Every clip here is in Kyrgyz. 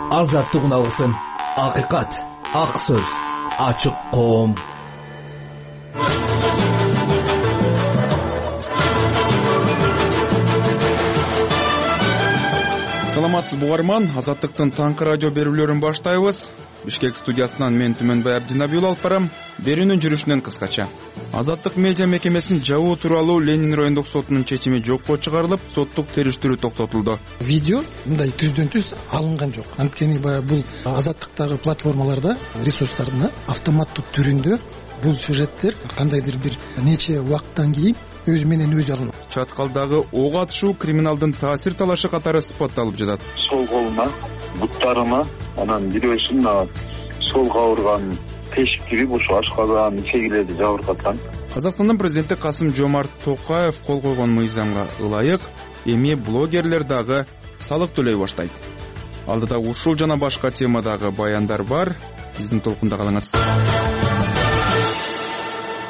азаттык уналгысын, акыйкат, ак сөз, ачык коом. Саламатсыз угарман, Азаттыктын таңкы радио берүүлөрүн баштайбыз. Бишкек студиясынан мен Түмөнбай Абдинабиул алып барам. Берүүнүн жүрүшүнөн кыскача. Азаттык медиа мекемесин жабуу тууралуу Ленин райондук сотунун чечими жокко чыгарылып, соттук териштирүү токтотулду. Видео мындай түздөн түз алынган жок. Анткени баягы бул азаттыктагы платформаларда, ресурстарда автоматтык түрүндө бул сюжеттер кандайдыр бир нече убакыттан кийин өзү менен өзү алынат. Чаткалдагы ок атышуу криминалдын таасир талашы катары сыпатталып жатат. Сол колума, буттарыма, анан бирөөсүн солго ауырган тешик кирип, ушу ашказан, чегилерди жабыркаткан. Казакстандын президенти Касым-Жомарт Токаев кол койгон мыйзамга ылайык эми блогерлер дагы салык төлөй баштайт. Алдыда ушул жана башка темадагы баяндар бар. Биздин толкунда калыңыз.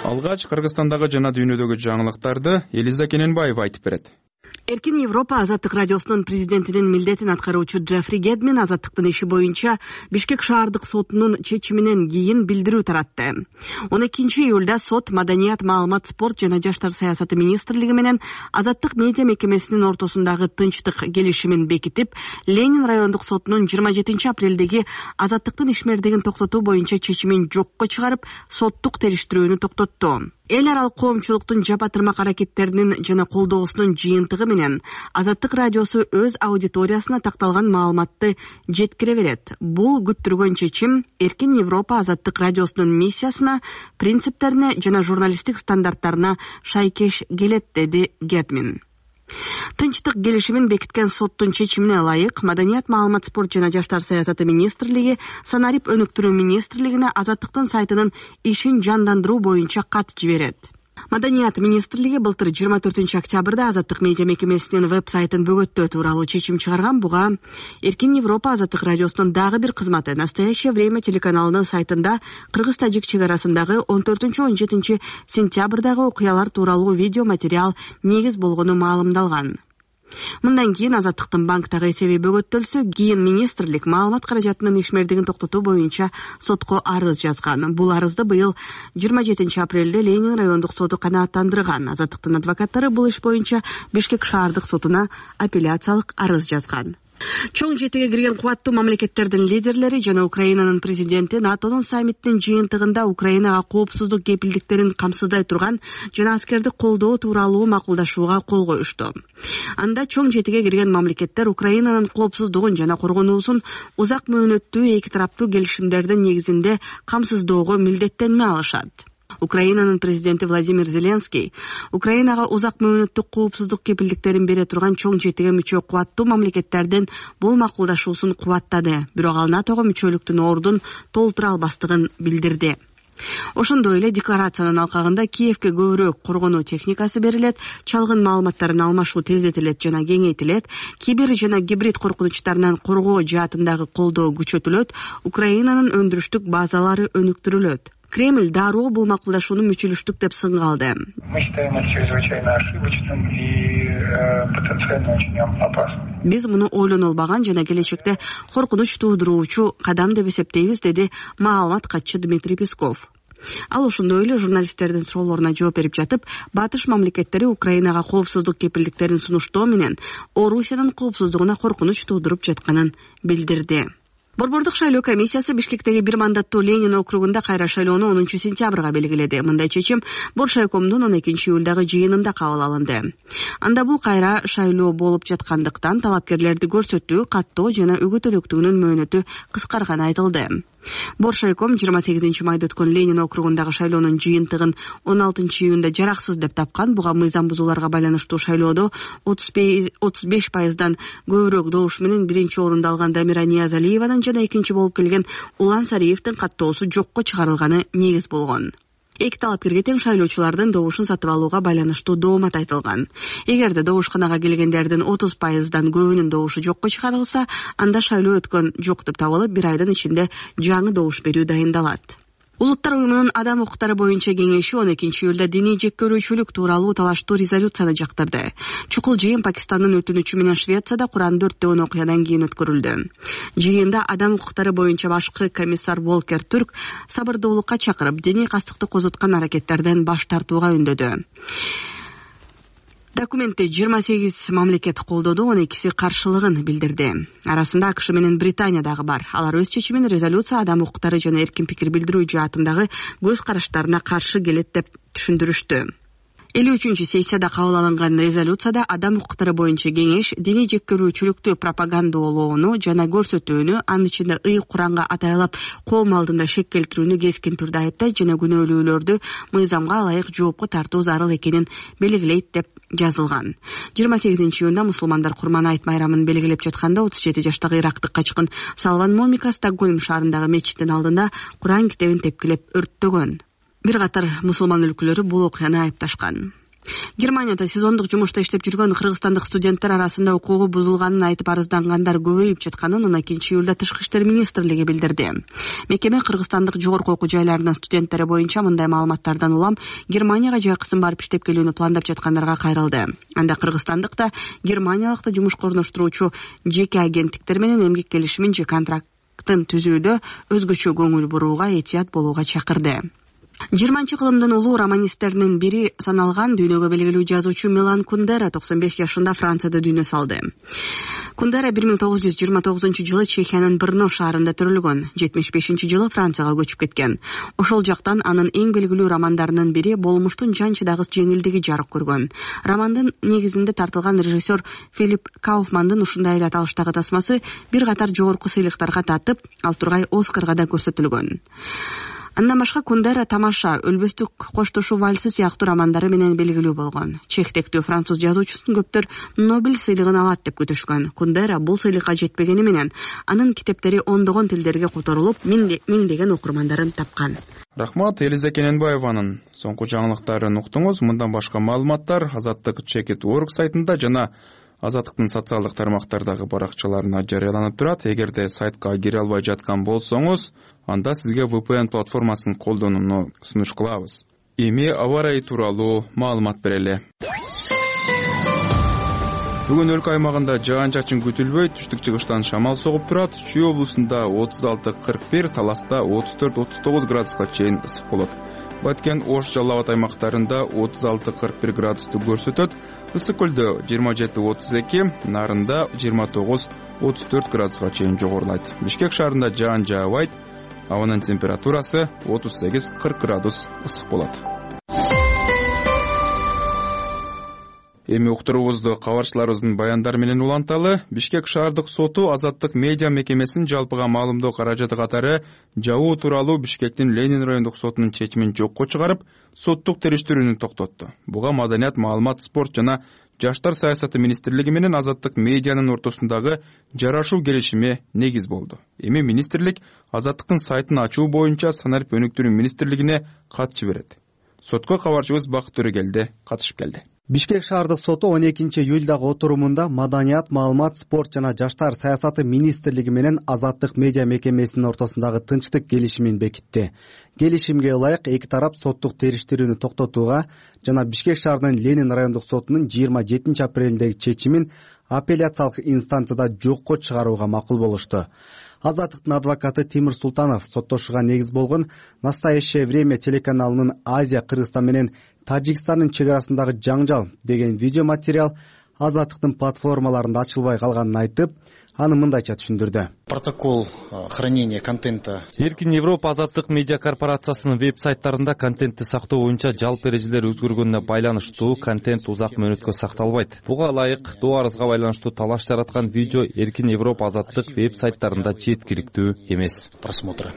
Алгач Кыргызстандагы жана дүйнөдөгү жаңылыктарды Элиза Кененбаева айтып берет. Эркин Европа Азаттык радиосунун президентинин милдетин аткаруучу Джеффри Гедмин азаттыктын иши боюнча Бишкек шаардык сотунун чечиминен кийин билдирүү таратты. 12-июлда сот Маданият, маалымат, спорт жана жаштар саясаты министрлиги менен Азаттык медиа мекемесинин ортосундагы тынчтык келишимин бекитип, Ленин райондук сотунун 27-апрелдеги азаттыктын ишмердигин токтотуу боюнча чечимин жокко чыгарып, соттук териштирүүнү токтотту. Эл аралык коомчулуктун жапа-тырмак аракеттеринин жана колдоосунун жыйынтыгы менен Азаттык радиосу өз аудиториясына такталган маалыматты жеткире берет. Бул күттүргөн чечим Эркин Европа Азаттык радиосунун миссиясына, принциптерине жана журналисттик стандарттарына шайкеш келет, деди Гедмин. Тынчтык келишимин бекиткен соттун чечимине ылайык Маданият, маалымат, спорт жана жаштар саясаты министрлиги санарип өнүктүрүү министрлигине Азаттыктын сайтынын ишин жандандыруу боюнча кат жиберет. Маданият министрлиги былтыр 24-октябрда Азаттык медиа мекемесинин веб-сайтын бөгөттөө тууралуу чечим чыгарган. Буга Эркин Европа Азаттык радиосунун дагы бир кызматы Настоящее время телеканалынын сайтында кыргыз-тажик чек арасындагы 14-17 сентябрдагы окуялар тууралуу видео материал негиз болгону маалымдалган. Мындан кийин Азаттыктын банктагы эсеби бөгөттөлсө, кийин министрлик маалымат каражатынын ишмердигин токтотуу боюнча сотко арыз жазган. Бул арызды быйыл 27-апрелде Ленин райондук соту канааттандырган. Азаттыктын адвокаттары бул иш боюнча Бишкек шаардык сотуна апелляциялык арыз жазган. Чоң жетиге кирген кубаттуу мамлекеттердин лидерлери жана Украинанын президенти НАТОнун саммитинин жыйынтыгында Украинага коопсуздук кепилдиктерин камсыздай турган жана аскердик колдоо тууралуу макулдашууга кол коюшту. Анда чоң жетиге кирген мамлекеттер Украинанын коопсуздугун жана коргонуусун узак мөөнөттүү эки тараптуу келишимдердин негизинде камсыздоого милдеттенме алышат. Украинанын президенти Владимир Зеленский Украинага узак мөөнөттүк коопсуздук кепилдиктерин бере турган чоң жетиге мүчө кубаттуу мамлекеттердин бул макулдашуусун кубаттады, бирок ал НАТОго мүчөлүктүн ордун толтура албастыгын билдирди. Ошондой эле декларациянын алкагында Киевке көбүрөөк коргонуу техникасы берилет, чалгын маалыматтарын алмашуу тездетилет жана кеңейтилет, кибер жана гибрид коркунучтарынан коргоо жаатындагы колдоо күчөтүлөт, Украинанын өндүрүштүк базалары өнүктүрүлөт. Кремль дароо бул макулдашууну мүчүлүштүк деп сынгалды. Мы считаем это чрезвычайно ошибочным и потенциально очень опасным. Биз муну ойлонолбаган жана келечекте коркунуч туудуруучу кадам деп эсептейбиз, деди маалымат катчы Дмитрий Песков. Ал ошондой эле журналисттердин суроолоруна жооп берип жатып, батыш мамлекеттери Украинага коопсуздук кепилдиктерин сунуштоо менен Орусиянын коопсуздугуна коркунуч туудуруп жатканын билдирди. Борбордук шайлоо комиссиясы Бишкектеги бир мандаттуу Ленин округунда кайра шайлоону 10-сентябрга белгиледи. Мындай чечим Боршайкомдун 12-июлдагы жыйынында кабыл алынды. Анда бул кайра шайлоо болуп жаткандыктан талапкерлерди көрсөтүү, каттоо жана үгүт-өнөктүгүнүн мөөнөтү кыскарганы айтылды. Боршайком 28 майда өткөн Ленин округундагы шайлоонун жыйынтыгын 16-июнда жараксыз деп тапкан. Буга мыйзам бузууларга байланыштуу шайлоодо 35%дан көбүрөөк добуш менен биринчи орунду алган Дамира Ниязалиеванын жана экинчи болуп келген Улан Сариевдин каттоосу жокко чыгарылганы негиз болгон. Эки талапкерге тең шайлоочулардын добушун сатып алууга байланыштуу доомат айтылган. Эгерде добушканага келгендердин 30%дан көбүнүн добушу жокко чыгарылса, анда шайлоо өткөн жок деп табылып, 1 айдын ичинде жаңы добуш берүү дайындалат. Улуттар уюмунун адам укуктары боюнча кеңеши 12 июлда диний жеккөрүүчүлүк тууралуу талаштуу резолюцияны жактырды. Чукул жыйын Пакистандын өтүнүчү менен Швецияда Куранды өрттөгөн окуядан кийин өткөрүлдү. Жыйында адам укуктары боюнча башкы комиссар Волкер Түрк сабырдуулукка чакырып, диний кастыкты козуткан аракеттерден баш тартууга үндөдү. Документти 28 мамлекет колдоду, 12си каршылыгын билдирди. Арасында АКШ менен Британия дагы бар. Алар өз чечимин резолюция адам укуктары жана эркин пикир билдирүү жаатындагы көз караштарына каршы келет деп түшүндүрүштү. 53-чү сессияда кабыл алынган резолюцияда адам укуктары боюнча кеңеш диний жеккөрүүчүлүктү пропагандалоону жана көрсөтүүнү, анын ичинде ыйык Куранга атайлап коом алдында шек келтирүүнү кескин түрдө айыптайт жана күнөөлүүлөрдү мыйзамга ылайык жоопко тартуу зарыл экенин белгилейт деп жазылган. 28-июнда мусулмандар Курман айт майрамын белгилеп жатканда 37 жаштагы ирактык качкын Салван Момика Стокгольм шаарындагы мечиттин алдында Куран китебин тепкилеп өрттөгөн. Бир катар мусулман өлкөлөрү бул окуяны айыпташкан. Германияда сезондук жумушта иштеп жүргөн кыргызстандык студенттер арасында укугу бузулганын айтып арыздангандар көбөйүп жатканын 12 июлда Тышкы иштер министрлиги билдирди. Мекеме кыргызстандык жогорку окуу жайларынын студенттери боюнча мындай маалыматтардан улам Германияга жайкысын барып иштеп келүүнү пландап жаткандарга кайрылды. Анда кыргызстандык да германиялык да жумушка орноштуруучу жеке агенттиктер менен эмгек келишимин же контракттын түзүүдө өзгөчө көңүл бурууга, этият болууга чакырды. 20-кылымдын улуу романисттеринин бири саналган дүйнөгө белгилүү жазуучу Милан Кундера 95 жашында Францияда дүйнө салды. Кундера 1929-жылы Чехиянын Брно шаарында төрөлгөн, 75-жылы Францияга көчүп кеткен. Ошол жактан анын эң белгилүү романдарынын бири Болмуштун жан чыдагыс жеңилдиги жарык көргөн. Романдын негизинде тартылган режиссер Филипп Кауфмандын ушундай эле аталыштагы тасмасы бир катар жогорку сыйлыктарга татып, ал тургай Оскарга да көрсөтүлгөн. Андан башка Кундера Тамаша, Өлбөстүк коштошуу вальсы сыяктуу романдары менен белгилүү болгон. Чехтектүү француз жазуучусун көптөр Нобель сыйлыгын алат деп күтүшкөн. Кундера бул сыйлыкка жетпегени менен анын китептери ондогон тилдерге которулуп, миңдеген окурмандарын тапкан. Рахмат, Элиза Кененбаеванын соңку жаңылыктарын уктуңуз. Мындан башка маалыматтар Азаттык Check.org сайтында жана Азаттыктын социалдык тармактардагы баракчаларына жарыяланып турат. Эгерде сайтка кире албай жаткан болсоңуз, анда сизге VPN платформасын колдонууну сунуш кылабыз. Эми аба ырайы тууралуу маалымат берели. Бүгүн өлкө аймагында жаан-чачын күтүлбөй, түштүк-чыгыштан шамал согуп турат. Чүй облусунда 36-41, Таласта 34-39 градуска чейин ысык болот. Баткен, Ош, Жалал Абад аймактарында 36-41 градусту көрсөтөт. Ысык көлдө 27-32, Нарында 29-34 градуска чейин жогорулайт. Бишкек шаарында жаан жаабайт. Абанын температурасы 38-40 градус ысык болот. Эми уктуруубузду кабарчыларыбыздын баяндары менен уланталы. Бишкек шаардык соту Азаттык медиа мекемесин жалпыга маалымдоо каражаты катары жабуу тууралуу Бишкектин Ленин райондук сотунун чечимин жокко чыгарып, соттук териштирүүнү токтотту. Буга Маданият, маалымат, спорт жана Жаштар саясаты министрлиги менен Азаттык медианын ортосундагы жарашуу келишими негиз болду. Эми министрлик Азаттыктын сайтын ачуу боюнча Санарип өнүктүрүү министрлигине кат жиберет. Сотко кабарчыбыз Бакыт Төрөгелди катышып келди. Бишкек шаардык соту 12 июлдагы отурумунда Маданият, маалымат, спорт жана Жаштар саясаты министрлиги менен Азаттык медиа мекемесинин ортосундагы тынчтык келишимин бекитти. Келишимге ылайык эки тарап соттук териштирүүнү токтотууга жана Бишкек шаарынын Ленин райондук сотунун 27 апрелдеги чечимин апелляциялык инстанцияда жокко чыгарууга макул болушту. Азаттыктын адвокаты Тимир Султанов соттошууга негиз болгон «Настоящее время» телеканалынын Азия, Кыргызстан менен Тажикстандын чек арасындагы жаңжал деген видео материал Азаттыктын платформаларында ачылбай калганын айтып, аны мындайча түшүндүрдү. Протокол хранения контента. Эркин Европа Азаттык медиа корпорациясынын веб-сайттарында контентти сактоо боюнча жалпы эрежелер өзгөргөнүнө байланыштуу контент узак мөөнөткө сакталбайт. Буга ылайык доо арызга байланыштуу талаш жараткан видео Эркин Европа Азаттык веб-сайттарында жеткиликтүү эмес. Просмотра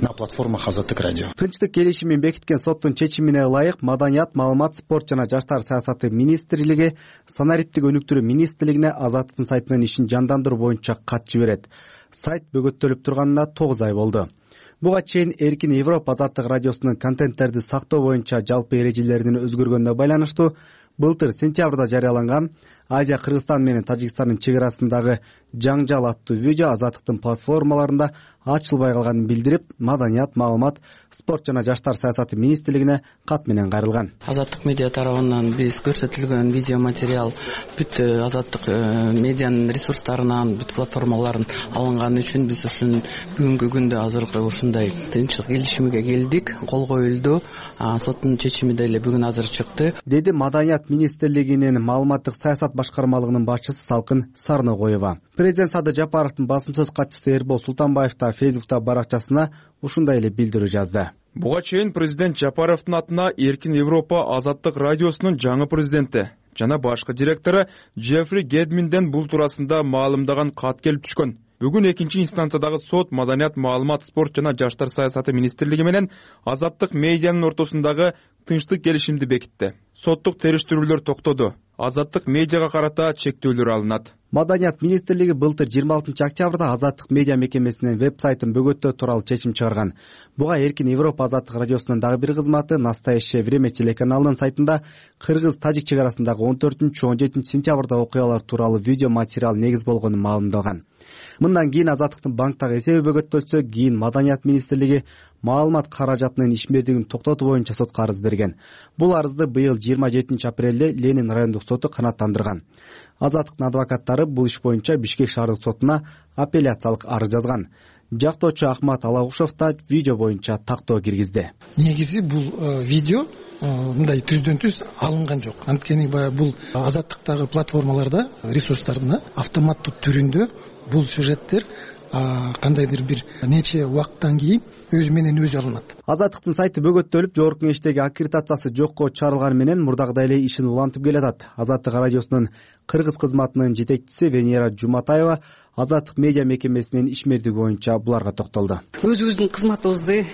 на платформах Азаттык радио. Тынчтык келишимин бекиткен соттун чечимине ылайык Маданият, маалымат, спорт жана Жаштар саясаты министрлиги Санариптик өнүктүрүү министрлигине Азаттыктын сайтынын ишин жандандыруу боюнча кат жиберет. Сайт бөгөттөлүп турганына 9 ай болду. Буга чейин Эркин Европа Азаттык радиосунун контенттерди сактоо боюнча жалпы эрежелеринин өзгөргөнүнө байланыштуу Былтыр сентябрда жарыяланган Азия Кыргызстан менен Тажикстандын чек арасындагы жаңжал аттуу видео Азаттыктын платформаларында ачылбай калганын билдирип, Маданият, маалымат, спорт жана жаштар саясаты министрлигине кат менен кайрылган. Азаттык медиа тарабынан биз көрсөтүлгөн видео материал бүт Азаттык медианын ресурстарынан, бүт платформаларын алынган үчүн биз ушун бүгүнкү күндө азыркы ушундай тынччылык келишимиге келдик. Кол коюлду. Соттун чечими деле бүгүн азыр чыкты, деди Маданият министрлигинин маалыматтык саясат башкармалыгынын башчысы Салкын Сарногоева. Президент Садыр Жапаровдун басым сөз катчысы Эрбол Султанбаев да Фейсбукта баракчасына ушундай эле билдирүү жазды. Буга чейин президент Жапаровдун атына Эркин Европа Азаттык радиосунун жаңы президенти жана башкы директору Джеффри Гедминден бул туурасында маалымдаган кат келип түшкөн. Бүгүн экинчи инстанциядагы сот Маданият, маалымат, спорт жана жаштар саясаты министрлиги менен Азаттык медианын ортосундагы тынчтык келишимди бекитти. Соттук териштирүүлөр токтоду. Азаттык медиага карата чектөөлөр алынат. Маданият министрлиги былтыр 26 октябрда Азаттык медиа мекемесинин веб-сайтын бөгөттөө тууралуу чечим чыгарган. Буга Эркин Европа Азаттык радиосунун дагы бир кызматы Настоящее время телеканалынын сайтында Кыргыз-Тажик чек арасындагы 14-17 сентябрда окуялар тууралуу видео материал негиз болгонун маалымдалган. Мындан кийин Азаттыктын банктагы эсеби бөгөттөлсө, кийин Маданият министрлиги маалымат каражатынын ишмердигин токтотуу боюнча сотко арыз берген. Бул арызды быйыл 27 апрелде Ленин райондук соту канааттандырган. Азаттыктын адвокаттары бул иш боюнча Бишкек шаардык сотуна апелляциялык арыз жазган. Жактоочу Ахмат Алагушев да видео боюнча тактоо киргизди. Негизи бул видео мындай түздөн түз алынган жок. Анткени баягы бул Азаттыктагы платформаларда, ресурстарда автоматтуу түрүндө бул сюжеттер кандайдыр бир нече убакыттан кийин өзү менен өзү алынат. Азаттыктын сайты бөгөттөлүп, жогорку кеңештеги аккредитациясы жокко чыгарылганы менен мурдагыдай эле ишин улантып келатат. Азаттык радиосунун кыргыз кызматынын жетекчиси Венера Жуматаева Азаттык медиа мекемесинин ишмердиги боюнча буларга токтолду. Өзүбүздүн кызматыбызды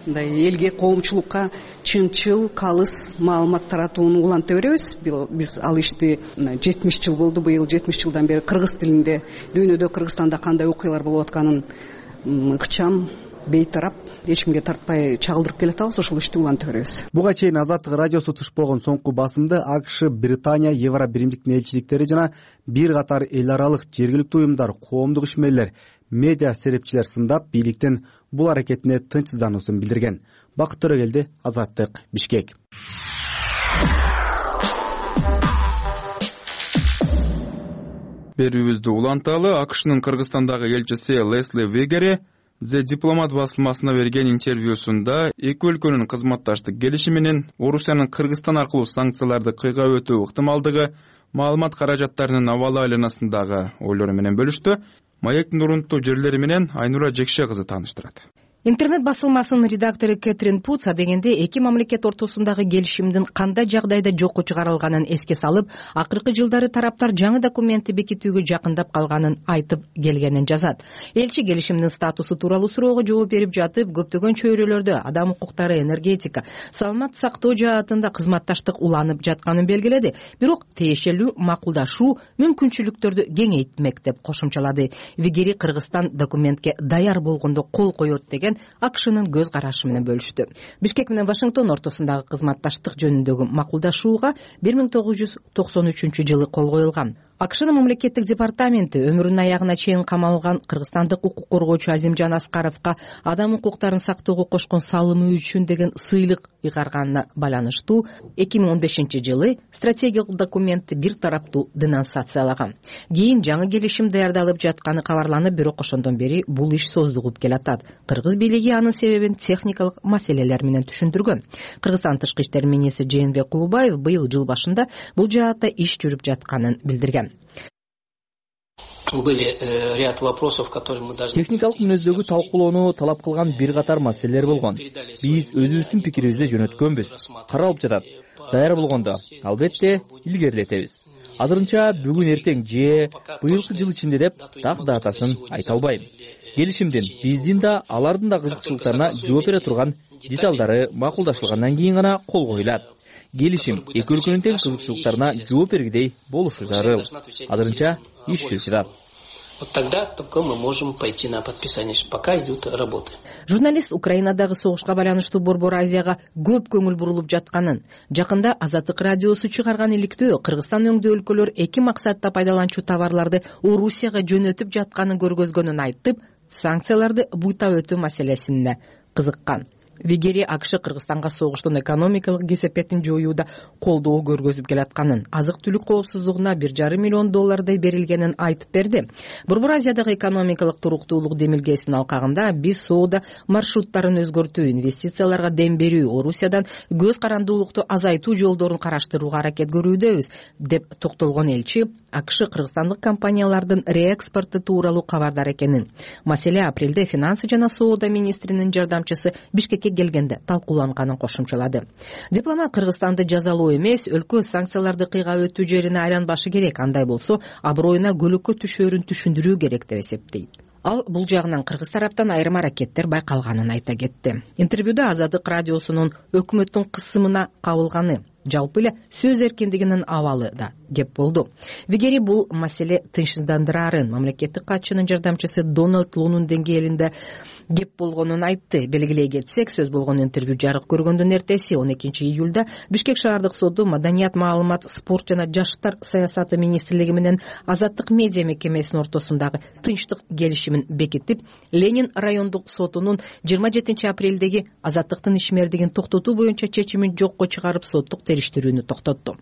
мындай элге, коомчулукка чынчыл, калыс маалымат таратууну уланта беребиз. Биз ал ишти 70 жыл болду. Быйыл 70 жылдан бери кыргыз тилинде дүйнөдө, Кыргызстанда кандай окуялар болуп атканын ыкчам, бейтарап, эч кимге тартпай чагылдырып келатабыз. Ошол ишти уланта беребиз. Буга чейин Азаттык радиосу туш болгон соңку басымды АКШ, Британия, Евро биримдиктин элчиликтери жана бир катар эл аралык жергиликтүү уюмдар, коомдук ишмерлер, медиа серепчилер сындап, бийликтин бул аракетине тынчсыздануусун билдирген. Бакыт Төрөгелди, Азаттык, Бишкек. Берүүбүздү уланталы. АКШнын Кыргызстандагы элчиси Лесли Вегери The Diplomat басылмасына берген интервьюсунда эки өлкөнүн кызматташтык келишиминин Орусиянын Кыргызстан аркылуу санкцияларды кыйгап өтүү ыктымалдыгы, маалымат каражаттарынын абалы айланасындагы ойлору менен бөлүштү. Маектин урунтуу жерлери менен Айнура Жекше кызы тааныштырат. Интернет басылмасынын редактору Кэтрин Путс адегенде эки мамлекет ортосундагы келишимдин кандай жагдайда жокко чыгарылганын эске салып, акыркы жылдары тараптар жаңы документти бекитүүгө жакындап калганын айтып келгенин жазат. Элчи келишимдин статусу тууралуу суроого жооп берип жатып, көптөгөн чөйрөлөрдө адам укуктары, энергетика, саламат сактоо жаатында кызматташтык уланып жатканын белгиледи. Бирок тиешелүү макулдашуу мүмкүнчүлүктөрдү кеңейтмек деп кошумчалады. Вегери Кыргызстан документке даяр болгондо кол коет деген АКШнын көз карашы менен бөлүштү. Бишкек менен Вашингтон ортосундагы кызматташтык жөнүндөгү макулдашууга 1993 жылы кол коюлган. АКШнын мамлекеттик департаменти өмүрүнүн аягына чейин камалган кыргызстандык укук коргоочу Азимжан Аскаровго адам укуктарын сактоого кошкон салымы үчүн деген сыйлык ыйгарганына байланыштуу 2015 жылы стратегиялык документти бир тараптуу денонсациялаган. Кийин жаңы келишим даярдалып жатканы кабарланып, бирок ошондон бери бул иш создугуп келатат. Кыргыз бийлиги анын себебин техникалык маселелер менен түшүндүргөн. Кыргызстан тышкы иштер министри Жээнбек Кулубаев быйыл жыл башында бул жаатта иш жүрүп жатканын билдирген. Техникалык мүнөздөгү талкуулоону талап кылган бир катар маселелер болгон. Биз өзүбүздүн пикирибизди жөнөткөнбүз. Каралып жатат. Даяр болгондо албетте илгерилетебиз. Азырынча бүгүн эртең же быйылкы жыл ичинде деп так датасын айта албайм. Келишимдин биздин да алардын да кызыкчылыктарына жооп бере турган деталдары макулдашылгандан кийин гана кол коюлат. Келишим эки өлкөнүн тең кызыкчылыктарына жооп бергидей болушу зарыл. Азырынча иш жүрүп жатат. Вот тогда только мы можем пойти на подписание. Пока идут работы. Журналист Украинадагы согушка байланыштуу Борбор Азияга көп көңүл бурулуп жатканын, жакында Азаттык радиосу чыгарган иликтөө Кыргызстан өңдөө өлкөлөр эки максатта пайдаланчу товарларды Орусияга жөнөтүп жатканын көргөзгөнүн айтып, санкцияларды буйта өтүү маселесине кызыккан. Вигери АКШ Кыргызстанга согуштун экономикалык кесепетин жоюуда колдоо көргөзүп келатканын, азык-түлүк коопсуздугуна $1,5 миллион берилгенин айтып берди. Борбор Азиядагы экономикалык туруктуулук демилгесинин алкагында биз соода маршруттарын өзгөртүү, инвестицияларга дем берүү, Орусиядан көз карандуулукту азайтуу жолдорун караштырууга аракет көрүүдөбүз, деп токтолгон элчи АКШ кыргызстандык компаниялардын реэкспорту тууралуу кабардар экенин. Маселе апрелде финансы жана соода министринин жардамчысы Бишкекке келгенде талкууланганын кошумчалады. Дипломат Кыргызстанды жазалоо эмес, өлкө санкцияларды кыйга өтүү жерине айланбашы керек, андай болсо аброюна көлөккө түшөөрүн түшүндүрүү керек деп эсептейт. Ал бул жагынан кыргыз тараптан айрым аракеттер байкалганын айта кетти. Интервьюда Азаттык радиосунун өкмөттүн кысымына кабылганы, жалпы эле сөз эркиндигинин абалы да кеп болду. Вигери бул маселе тынчсыздандырарын мамлекеттик катчынын жардамчысы Дональд Лунун деңгээлинде кеп болгонун айтты. Белгилей кетсек, сөз болгон интервью жарык көргөндөн эртеси 12 июлда Бишкек шаардык соду Маданият, маалымат, спорт жана жаштар саясаты министрлиги менен Азаттык медиа мекемесинин ортосундагы тынчтык келишимин бекитип, Ленин райондук сотунун 27 апрелдеги Азаттыктын ишмердигин токтотуу боюнча чечимин жокко чыгарып соттук териштирүүнү токтотту.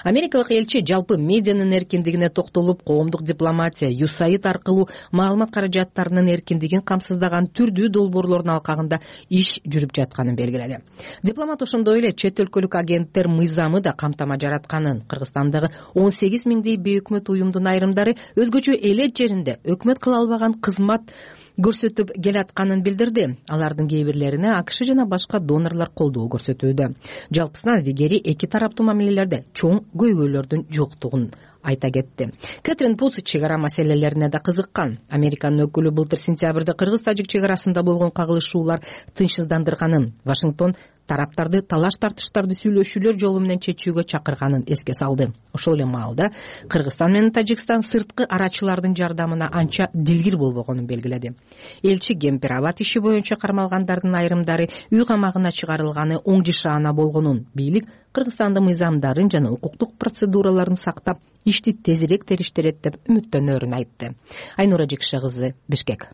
Америкалык элчи жалпы медианын эркиндигине токтолуп, коомдук дипломатия, USAID аркылуу маалымат каражаттарынын эркиндигин камсыздаган түрдүү долбоорлордун алкагында иш жүрүп жатканын белгиледи. Дипломат ошондой эле чет өлкөлүк агенттер мыйзамы да камтама жаратканын, Кыргызстандагы 18 миңдей бейөкмөт уюмдун айрымдары өзгөчө элет жеринде өкмөт кыла албаган кызмат көрсөтүп келатканын билдирди. Алардын кээ бирлерине АКШ жана башка донорлор колдоо көрсөтүүдө. Жалпысынан Вигери эки тараптуу мамилелерде чоң көйгөйлөрдүн жоктугун айта кетти. Кэтрин Путс чегара маселелерине да кызыккан. Американын өкүлү былтыр сентябрда кыргыз-тажик чегарасында болгон кагылышуулар тынчсыздандырганын, Вашингтон тараптарды талаш тартыштарды сүйлөшүүлөр жолу менен чечүүгө чакырганын эске салды. Ошол эле маалда Кыргызстан менен Тажикстан сырткы арачылардын жардамына анча дилгир болбогонун белгиледи. Элчи Гемпирабад иши боюнча кармалгандардын айрымдары үй камагына чыгарылганы оң жашаана болгонун, бийлик Кыргызстандын мыйзамдарын жана укуктук процедураларын сактап, ишти тезирээк териштирет деп үмүттөнөрүн айтты. Айнура Жекше кызы, Бишкек.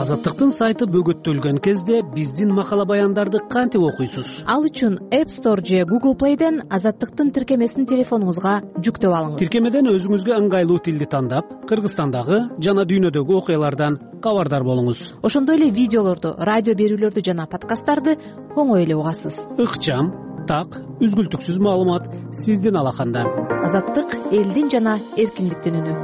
Азаттыктын сайты бөгөттөлгөн кезде биздин макала баяндарды кантип окуйсуз? Ал үчүн App Store же Google Play'ден Азаттыктын тиркемесин телефонуңузга жүктөп алыңыз. Тиркемеден өзүңүзгө ыңгайлуу тилди тандап, Кыргызстандагы жана дүйнөдөгү окуялардан кабардар болуңуз. Ошондой эле видеолорду, радио берүүлөрдү жана подкасттарды оңой эле угасыз. Ыкчам, так, үзгүлтүксүз маалымат сиздин алаканда. Азаттык элдин жана эркиндиктин үнү.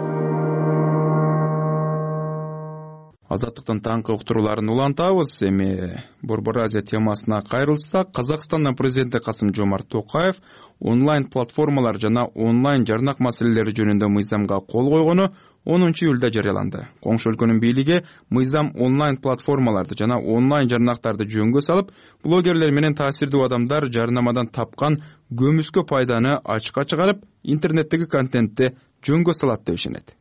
Азаттыктын таңкы уктурууларын улантабыз. Эми Борбор Азия темасына кайрылсак, Казакстандын президенти Касым-Жомарт Токаев онлайн платформалар жана онлайн жарнак маселелери жөнүндө мыйзамга кол койгону 10 июлда жарыяланды. Коңшу өлкөнүн бийлиги мыйзам онлайн платформаларды жана онлайн жарнактарды жөнгө салып, блогерлер менен таасирдүү адамдар жарнамадан тапкан көмүскө пайданы ачыкка чыгарып, интернеттеги контентти жөнгө салат деп ишенет.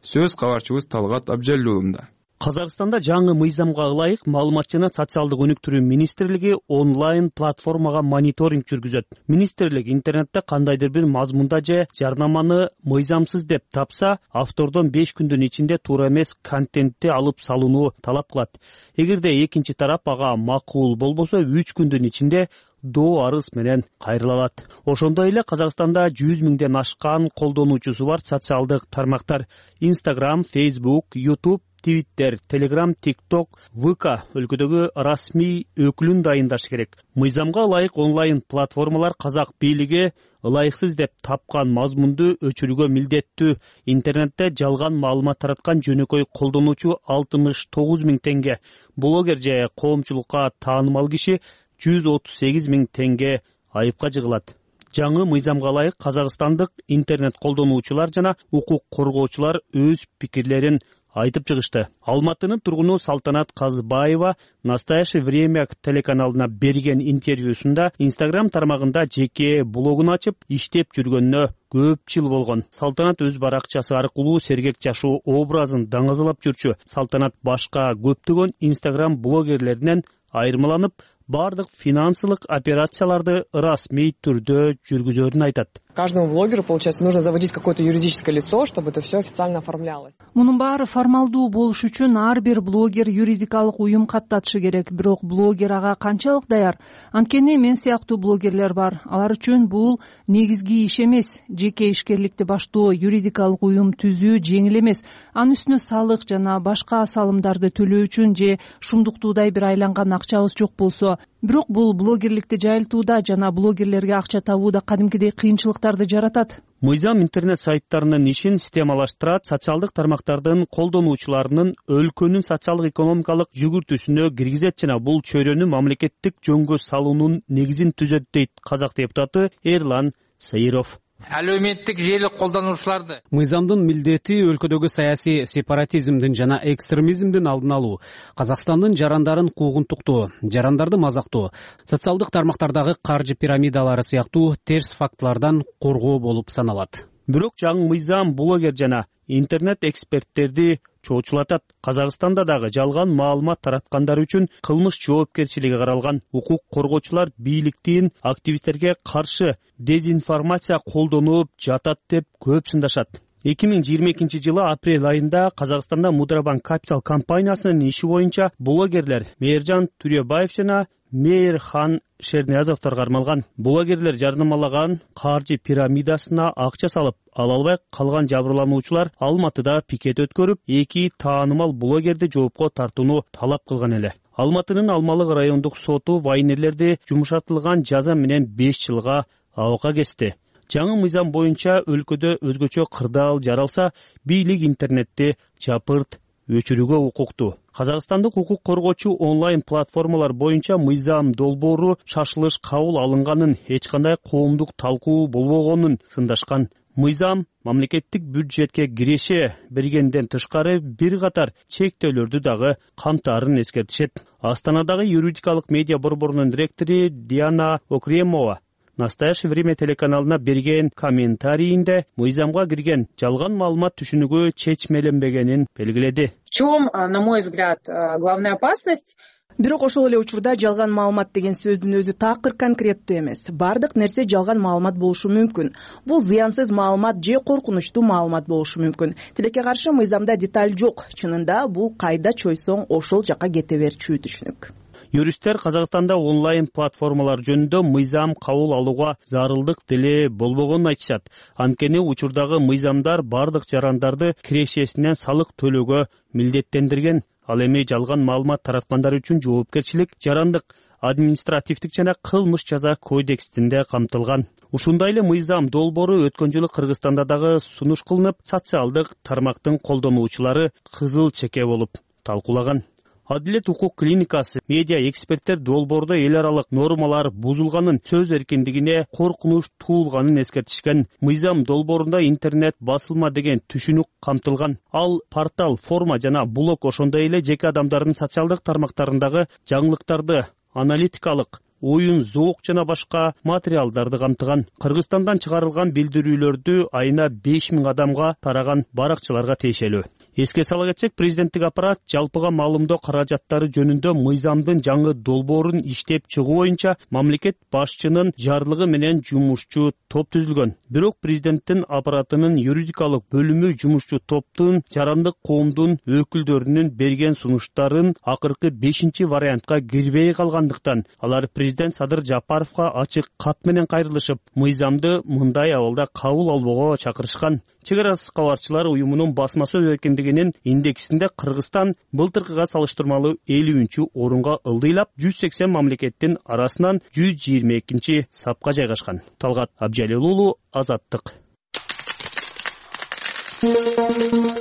Сөз кабарчыбыз Талгат Абжаллуулунда. Казакстанда жаңы мыйзамга ылайык маалымат жана социалдык өнүктүрүү министрлиги онлайн платформага мониторинг жүргүзөт. Министрлик интернетте кандайдыр бир мазмунда же жарнаманы мыйзамсыз деп тапса, автордон 5 күндүн ичинде туура эмес контентти алып салууну талап кылат. Эгерде экинчи тарап ага макул болбосо, 3 күндүн ичинде доо арыз менен кайрыла алат. Ошондой эле Казакстанда 100 миңден ашкан колдонуучусу бар социалдык тармактар Instagram, Facebook, YouTube, Twitter, Telegram, TikTok, VK өлкөдөгү расмий өкүлүн дайындаш керек. Мыйзамга ылайык онлайн платформалар казак бийлиги ылайыксыз деп тапкан мазмунду өчүрүүгө милдеттүү. Интернетте жалган маалымат тараткан жөнөкөй колдонуучу 69 миң теңге, блогер же коомчулукка таанымал киши 138 миң теңге айыпка жыгылат. Жаңы мыйзамга ылайык казакстандык интернет колдонуучулар жана укук коргоочулар өз пикирлерин айтып чыгышты. Алматынын тургуну Салтанат Казбаева «Настоящее время» телеканалына берген интервьюсунда Instagram тармагында жеке блогун ачып, иштеп жүргөнүнө көп жыл болгон. Салтанат өз баракчасы аркылуу сергек жашоо образын даңазалап жүрчү. Салтанат башка көптөгөн Instagram блогерлеринен айырмаланып, бардык финансылык операцияларды расмий түрдө жүргүзөрүн айтат. Каждому блогеру, получается, нужно заводить какое-то юридическое лицо, чтобы это все официально оформлялось. Мунун баары формалдуу болуш үчүн ар бир блогер юридикалык уюм каттатышы керек. Бирок блогер ага канчалык даяр? Анткени мен сыяктуу блогерлер бар. Алар үчүн бул негизги иш эмес. Жеке ишкерликти баштоо, юридикалык уюм түзүү жеңил эмес. Анын үстүнө салык жана башка салымдарды төлөө үчүн же шумдуктуудай бир айланган акчабыз жок болсо. Бирок бул блогерликти жайылтууда жана блогерлерге акча табууда кадимкидей кыйынчылыктарды жаратат. Мыйзам интернет сайттарынын ишин системалаштырат, социалдык тармактардын колдонуучуларынын өлкөнүн социалдык экономикалык жүгүртүүсүнө киргизет жана бул чөйрөнү мамлекеттик жөнгө салуунун негизин түзөт дейт казак депутаты Эрлан Саиров. Әлеуметтик желі колдонуучуларды мыйзамдын милдети өлкөдөгү саясий сепаратизмдин жана экстремизмдин алдын алуу, Казакстандын жарандарын куугунтуктоо, жарандарды мазактоо, социалдык тармактардагы каржы пирамидалары сыяктуу терс фактылардан коргоо болуп саналат. Бирок жаңы мыйзам блогер жана интернет эксперттерди чоочулатат. Казакстанда дагы жалган маалымат тараткандар үчүн кылмыш жоопкерчилиги каралган. Укук коргоочулар бийликтин активисттерге каршы дезинформация колдонуп жатат деп көп сындашат. 2022-жылы апрель айында Казакстанда Мудробанк Капитал компаниясынын иши боюнча блогерлер Мээржан Түрөбаев жана Мейирхан Шерниязовдор кармалган. Блогерлер жарнамалаган каржы пирамидасына акча салып, ала албай калган жабырлануучулар Алматыда пикет өткөрүп, 2 таанымал блогерди жоопко тартууну талап кылган эле. Алматынын Алмалык райондук соту вайнерлерди жумшартылган жаза менен 5 жылга абакка кести. Жаңы мыйзам боюнча өлкөдө өзгөчө кырдаал жаралса, бийлик интернетти жапырт өчүрүүгө укуктуу. Казакстандык укук коргоочу онлайн платформалар боюнча мыйзам долбоору шашылыш кабыл алынганын, эч кандай коомдук талкуу болбогонун сындашкан. Мыйзам мамлекеттик бюджетке киреше бергенден тышкары бир катар чектөөлөрдү дагы камтаарын эскертишет. Астанадагы юридикалык медиа борборунун директору Диана Окремова «Настоящее время» телеканалына берген комментарийинде мыйзамга кирген жалган маалымат түшүнүгү чечмеленбегенин белгиледи. В чем, на мой взгляд, главная опасность? Бирок ошол эле учурда жалган маалымат деген сөздүн өзү такыр конкреттүү эмес. Бардык нерсе жалган маалымат болушу мүмкүн. Бул зыянсыз маалымат же коркунучтуу маалымат болушу мүмкүн. Тилекке каршы мыйзамда деталь жок. Чынында бул кайда чойсоң ошол жака кете берчү түшүнүк. Юристтер Казакстанда онлайн платформалар жөнүндө мыйзам кабыл алууга зарылдык деле болбогонун айтышат. Анткени учурдагы мыйзамдар бардык жарандарды кирешесинен салык төлөөгө милдеттендирген. Ал эми жалган маалымат тараткандар үчүн жоопкерчилик жарандык, административдик жана кылмыш жаза кодексинде камтылган. Ушундай эле мыйзам долбоору өткөн жылы Кыргызстанда дагы сунуш кылынып, социалдык тармактын колдонуучулары кызыл чеке болуп талкуулаган. Адилет укук клиникасы медиа эксперттер долбоордо эл аралык нормалар бузулганын, сөз эркиндигине коркунуч туулганын эскертишкен. Мыйзам долбоорунда интернет басылма деген түшүнүк камтылган. Ал портал, форма жана блог ошондой эле жеке адамдардын социалдык тармактарындагы жаңылыктарды, аналитикалык, оюн, зоок жана башка материалдарды камтыган. Кыргызстандан чыгарылган билдирүүлөрдү айына 5000 адамга тараган баракчыларга тиешелүү. Эске сала кетсек, президенттик аппарат жалпыга маалымдоо каражаттары жөнүндө мыйзамдын жаңы долбоорун иштеп чыгуу боюнча мамлекет башчынын жарлыгы менен жумушчу топ түзүлгөн. Бирок президенттин аппаратынын юридикалык бөлүмү жумушчу топтун жарандык коомдун өкүлдөрүнүн берген сунуштарын акыркы 5 вариантка кирбей калгандыктан алар президент Садыр Жапаровго ачык кат менен кайрылышып, мыйзамды мындай абалда кабыл албоого чакырышкан. Чек арасы кабарчылар уюмунун басма сөз эркиндигинин индексинде Кыргызстан былтыркыга салыштырмалуу 50-орунга ылдыйлап, 180 мамлекеттин арасынан 122-сапка жайгашкан. Талгат Абжалил уулу, Азаттык.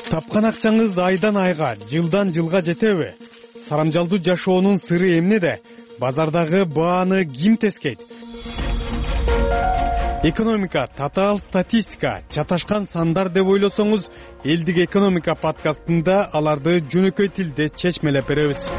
Тапкан акчаңыз айдан айга, жылдан жылга жетеби? Сарамжалдуу жашоонун сыры эмнеде? Базардагы бааны ким тескейт? Экономика, татаал статистика, чаташкан сандар деп ойлосоңуз, Элдик экономика подкастында аларды жөнөкөй тилде чечмелеп беребиз.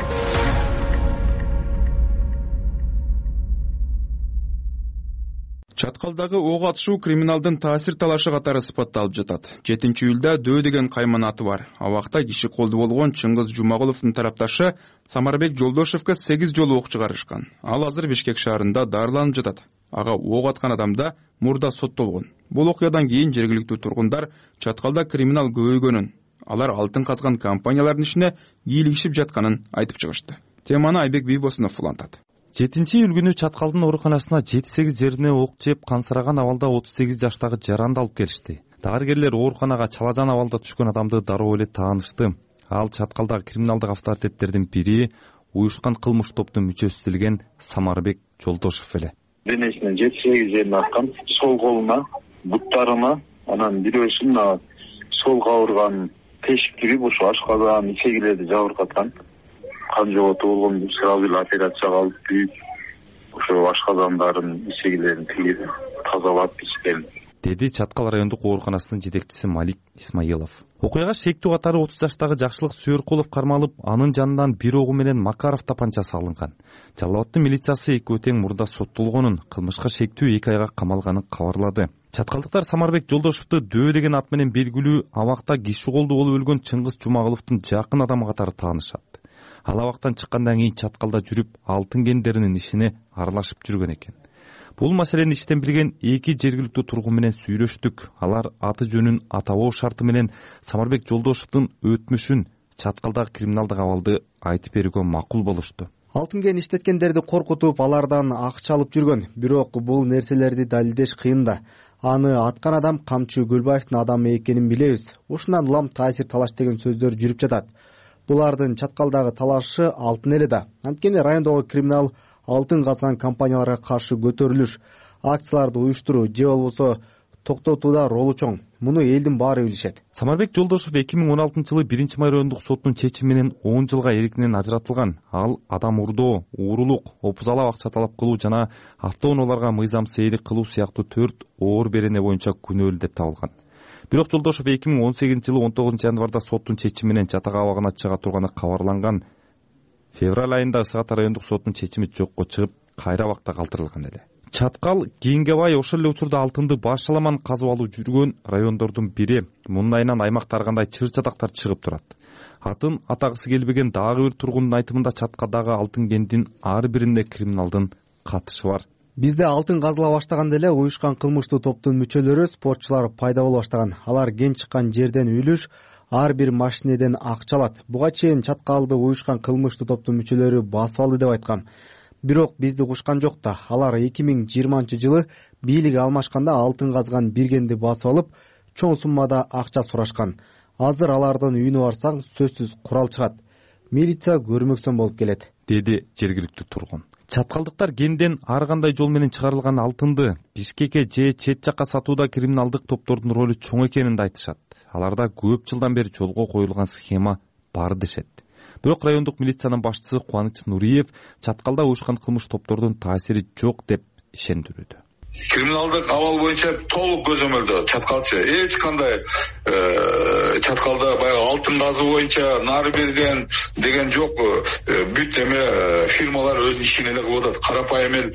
Чаткалдагы ок атышуу криминалдын таасир талашы катары сыпатталып жатат. 7-июлда Дөө деген кайман аты бар. Абакта киши колду болгон Чыңгыз Жумагуловдун тарапташы Самарбек Жолдошевго 8 жолу ок чыгарышкан. Ал азыр Бишкек шаарында дарыланып жатат. Ага ок аткан адамда мурда соттолгон. Бул окуядан кийин жергиликтүү тургундар Чаткалда криминал көбөйгөнүн, алар алтын казган компаниялардын ишине кийлигишип жатканын айтып чыгышты. Теманы Айбек Бийбосунов улантат. 7-июль күнү Чаткалдын ооруканасына 7-8 жерине ок жеп кансыраган абалда 38 жаштагы жаранды алып келишти. Дарыгерлер ооруканага чалажан абалда түшкөн адамды дароо эле таанышты. Ал Чаткалдагы криминалдык авторитеттердин бири, уюшкан кылмыш топтун мүчөсү делген Самарбек Жолдошев эле. Денесинин 7-8 жерине аткан, сол колуна, буттарына, анан бирөөсүн сол кабырганын тешик кирип, ошо ашказан, ичегилерди жабыркаткан. Кан жоготу болгон, сразу эле операцияга алып күйүп, ошо ашказандарын, ичегилерин тигип, тазалап ичкен, деди Чаткал райондук ооруканасынын жетекчиси Малик Исмаилов. Окуяга шектүү катары 30 жаштагы Жакшылык Сүйөркулов кармалып, анын жанынан бир огу менен Макаров тапанчасы алынган. Жалал абаддын милициясы 2 тең мурда соттолгонун, кылмышка шектүү 2 айга камалганын кабарлады. Чаткалдыктар Самарбек Жолдошевду Дөө деген ат менен белгилүү абакта киши колду болуп өлгөн Чыңгыз Жумагуловдун жакын адамы катары таанышат. Ал абактан чыккандан кийин Чаткалда жүрүп, алтын кендеринин ишине аралашып жүргөн экен. Бул маселени иштен билген 2 жергиликтүү тургун менен сүйлөштүк. Алар аты жөнүн атабоо шарты менен Самарбек Жолдошевдун өтмүшүн, Чаткалдагы криминалдык абалды айтып берүүгө макул болушту. Алтын кен иштеткендерди коркутуп, алардан акча алып жүргөн. Бирок бул нерселерди далилдеш кыйын да. Аны аткан адам Камчы Гүлбаевдин адамы экенин билебиз. Ушундан улам таасир талаш деген сөздөр жүрүп жатат. Булардын Чаткалдагы талашы алтын эле да. Анткени райондогу криминал алтын казган компанияларга каршы көтөрүлүш, акцияларды уюштуруу же болбосо токтотууда ролу чоң. Муну элдин баары билишет. Самарбек Жолдошев 2016-жылы 1-май райондук соттун чечими менен 10 жылга эркинен ажыратылган. Ал адам урдоо, уурулук, опузалап акча талап кылуу жана автоунааларга мыйзам сейрик кылуу сыяктуу 4 оор берене боюнча күнөөлүү деп табылган. Бирок Жолдошев 2018-жылы 19 январда соттун чечими менен жатак абагына чыга турганы кабарланган. Февраль айында Ысык Ата райондук соттун чечими жокко чыгып, кайра абакта калтырылган эле. Чаткал кийинге бай ошол эле учурда алтынды башаламан казып алып жүргөн райондордун бири. Мунун айынан аймакта ар кандай чыр жатактар чыгып турат. Атын атагысы келбеген дагы бир тургундун айтымында Чаткалдагы алтын кендин ар биринде криминалдын катышы бар. Бизде алтын казыла баштаганда эле уюшкан кылмыштуу топтун мүчөлөрү, спортчулар пайда боло баштаган. Алар кен чыккан жерден үлүш, ар бир машинеден акча алат. Буга чейин Чаткалды уюшкан кылмыштуу топтун мүчөлөрү басып алды деп айткам. Бирок бизди кушкан жок да. Алар 2020-жылы бийлик алмашканда алтын казган бир кенди басып алып, чоң суммада акча сурашкан. Азыр алардын үйүнө барсаң сөзсүз курал чыгат. Милиция көрмөксөн болуп келет, деди жергиликтүү тургун. Чаткалдыктар кенден ар кандай жол менен чыгарылган алтынды Бишкекке же чет жакка сатууда криминалдык топтордун ролу чоң экенин да айтышат. Аларда көп жылдан бери жолго коюлган схема бар дешет. Бирок райондук милициянын башчысы Кубаныч Нуриев Чаткалда уюшкан кылмыш топтордун таасири жок деп ишендирүүдө. Криминалдык абал боюнча толук көзөмөлдө Чаткалчы эч кандай Чаткалда баягы алтын казуу боюнча нары берген деген жок. Бүт эме фирмалар өз ишин эле кылып атат. Карапайым эл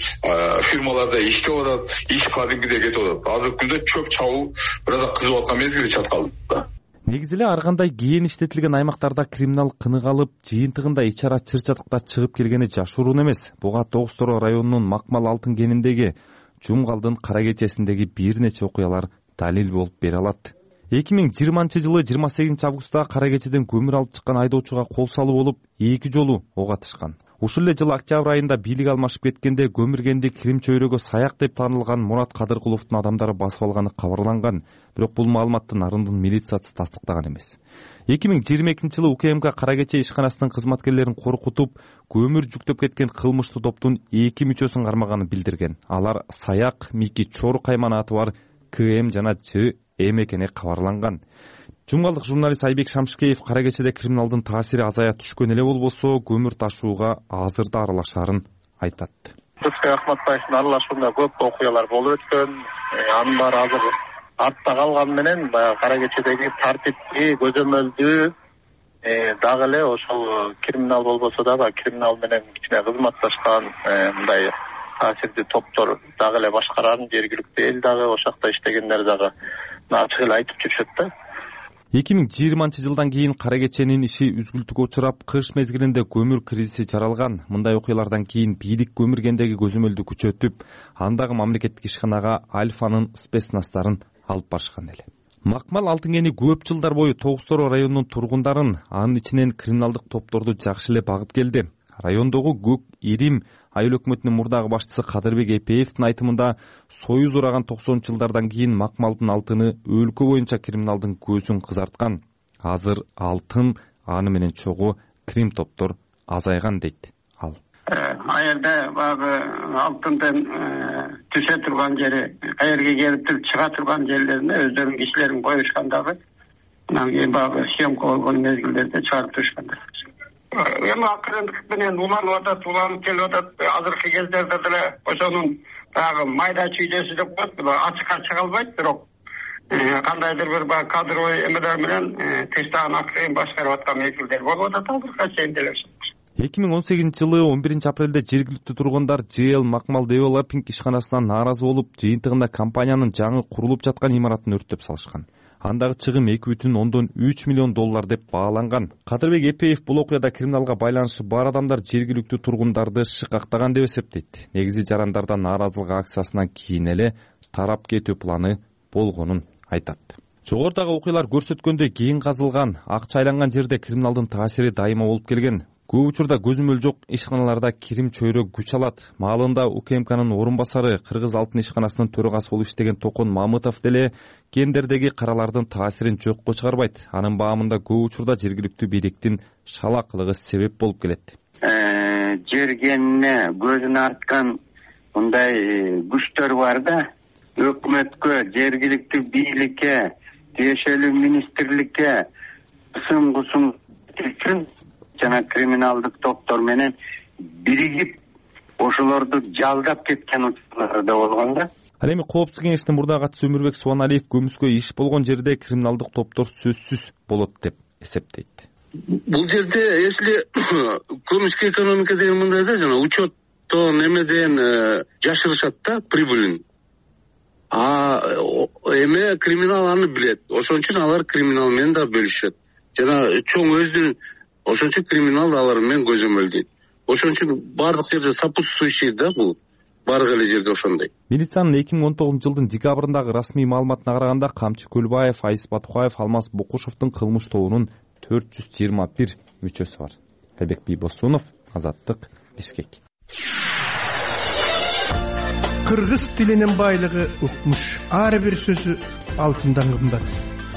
фирмаларда иштеп атат, иш кадимгидей кетип атат. Азыркы күндө чөп чабуу бир аз кызып аткан мезгили Чаткалда. Негизи эле ар кандай кийин иштетилген аймактарда криминал кыныгалып, жыйынтыгында ичара чыр жатакта чыгып келгени жашыруун эмес. Буга Тогуз-Тороо районунун Макмал алтын кениндеги Жумгалдын кара кечесиндеги бир нече окуялар далил болуп бере алат. 2020-жылы 28 кара кечеден көмүр алып чыккан айдоочуга кол салуу болуп, 2 жолу ок атышкан. Ушул эле жылы октябрь айында бийлик алмашып кеткенде көмүргенди Крим чөйрөгө саяк деп таанылган Мурат Кадыркуловдун адамдары басып алганы кабарланган. Бирок бул маалыматты Нарындын милициясы тастыктаган эмес. 2022-жылы УКМК кара кече ишканасынын кызматкерлерин коркутуп, көмүр жүктөп кеткен кылмыштуу топтун 2 мүчөсүн кармаганын билдирген. Алар Саяк, Мики Чор кайман аты бар КМ жана Ж Эм экени кабарланган. Жумгалдык журналист Айбек Шамшыкеев кара кечеде криминалдын таасири азая түшкөн эле болбосо, көмүр ташууга азыр да аралашаарын айтат. Рыскай Ахматбаевдин аралашуунда көп окуялар болуп өткөн. Анын баары азыр артта калганы менен баягы кара кечедеги тартипти көзөмөлдүү дагы эле ошол криминал болбосо дагы криминал менен кичине кызматташкан мындай таасирдүү топтор дагы эле башкарарын жергиликтүү эл дагы ошол жакта иштегендер дагы ачык эле айтып жүрүшөт да. 2020-жылдан кийин кара кеченин иши үзгүлтүккө учурап, кыш мезгилинде көмүр кризиси жаралган. Мындай окуялардан кийин бийлик көмүргендеги көзөмөлдү күчөтүп, андагы мамлекеттик ишканага Альфанын спецнастарын алып барышкан эле. Макмал Алтын кени көп жылдар бою Тогуз-Тороо районунун тургундарын, анын ичинен криминалдык топторду жакшы эле багып келди. Райондогу Көк Ирим айыл өкмөтүнүн мурдагы башчысы Кадырбек Эпеевдин айтымында, союз ураган 90-жылдардан кийин Макмалдын алтыны өлкө боюнча криминалдын көзүн кызарткан. Азыр алтын, аны менен чогуу крим топтор азайган дейт ал. Аерде баягы алтындын түшө турган жери, каерге келип туруп чыга турган жерлерине өздөрүнүн кишилерин коюшкан дагы. Анан кийин баягы съемка болгон мезгилдерде чыгарып турушкандар. Эми акырындык менен уланып келип атат. Азыркы кездерде деле ошонун баягы майда чүйдөсү деп коет, ачыкка чыга албайт, бирок кандайдыр бир баягы кадровый эмелер менен тыштаган акырын башкарып аткан мезгилдер болуп атат азыркыга чейин деле. 2018-жылы 11-апрелде жергиликтүү тургундар JL Макмал Developing ишканасынан нааразы болуп, жыйынтыгында компаниянын жаңы курулуп жаткан имаратын өрттөп салышкан. Андагы чыгым 2,3 миллион доллар деп бааланган. Кадырбек Эпеев бул окуяда криминалга байланышы бар адамдар жергиликтүү тургундарды шыкактаган деп эсептейт. Негизи жарандардан нааразылык акциясынан кийин эле тарап кетүү планы болгонун айтат. Жогорудагы окуялар көрсөткөндөй, кийин казылган, акча айланган жерде криминалдын таасири дайыма болуп келген. Көп учурда көзөмөл жок ишканаларда кирим чөйрө күч алат. Маалында УКМКнын орун басары, Кыргыз алтын ишканасынын төрагасы болуп иштеген Токон Мамытов деле кендердеги каралардын таасирин жокко чыгарбайт. Анын баамында көп учурда жергиликтүү бийликтин шалакылыгы себеп болуп келет. Жергенине көзүн арткан мындай күчтөр бар да, өкмөткө, жергиликтүү бийликке, тиешелүү министрликке кысым үчүн жана криминалдык топтор менен биригип ошолорду жалдап кеткен учурлар да болгон да. Ал эми Коопсуздук кеңешинин мурдагы катчысы Өмүрбек Субаналиев көмүскө иш болгон жерде криминалдык топтор сөзсүз болот деп эсептейт. Бул жерде если көмүскө экономика деген мындай да, жана учеттон эмеден жашырышат да прибылин. Эме криминал аны билет. Ошон үчүн алар криминал менен да бөлүшөт. Жана чоң өздүн ошон үчүн криминал алар менен көзөмөлдөйт. Ошон үчүн бардык жерде сопутствующий да бул. Бардык эле жерде ошондой. Милициянын 2019-жылдын декабрындагы расмий маалыматына караганда Камчы Көлбаев, Айыс Батукаев, Алмаз Бокушевдун кылмыш тобунун 421 мүчөсү бар. Айбек Бийбосунов, Азаттык, Бишкек. Кыргыз тилинин байлыгы укмуш. Ар бир сөзү алтындан кымбат.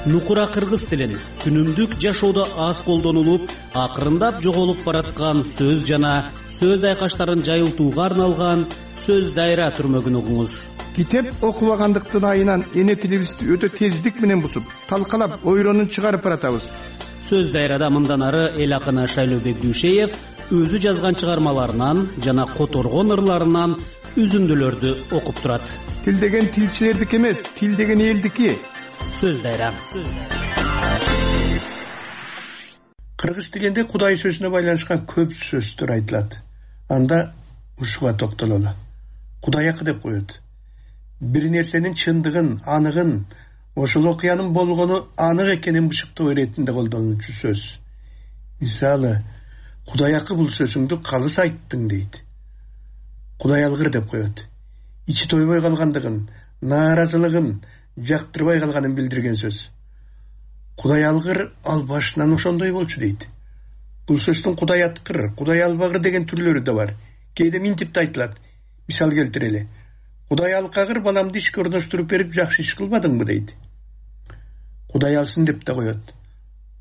Нукура кыргыз тилин күнүмдүк жашоодо аз колдонулуп, акырындап жоголуп бараткан сөз жана сөз айкаштарын жайылтууга арналган сөз дайра түрмөгүн угуңуз. Китеп окубагандыктын айынан эне тилибизди өтө тездик менен бусуп, талкалап, ойронун чыгарып баратабыз. Сөз дайрада мындан ары эл акыны Шайлообек Дүйшеев өзү жазган чыгармаларынан жана которгон ырларынан үзүндүлөрдү окуп турат. Тил деген тилчилердики эмес, тил деген элдики. Сөз дайра. Кыргыз тилинде Кудай сөзүнө байланышкан көп сөздөр айтылат. Анда ушуга токтололу. Кудайакы деп коет. Бир нерсенин чындыгын, аныгын, ошол окуянын болгону анык экенин бышыктоо иретинде колдонулчу сөз. Мисалы, Кудайакы бул сөзүңдү калыс айттың дейт. Кудай алгыр деп коет. Ичи тойбой калгандыгын, нааразылыгын, жактырбай калганын билдирген сөз. Кудай алгыр ал башынан ошондой болчу дейт. Бул сөздүн Кудай аткыр, Кудай албагыр деген түрлөрү да бар. Кээде минтип да айтылат. Мисал келтирели. Кудай алкагыр баламды ишке орноштуруп берип жакшы иш кылбадыңбы дейт. Кудай алсын деп да коет.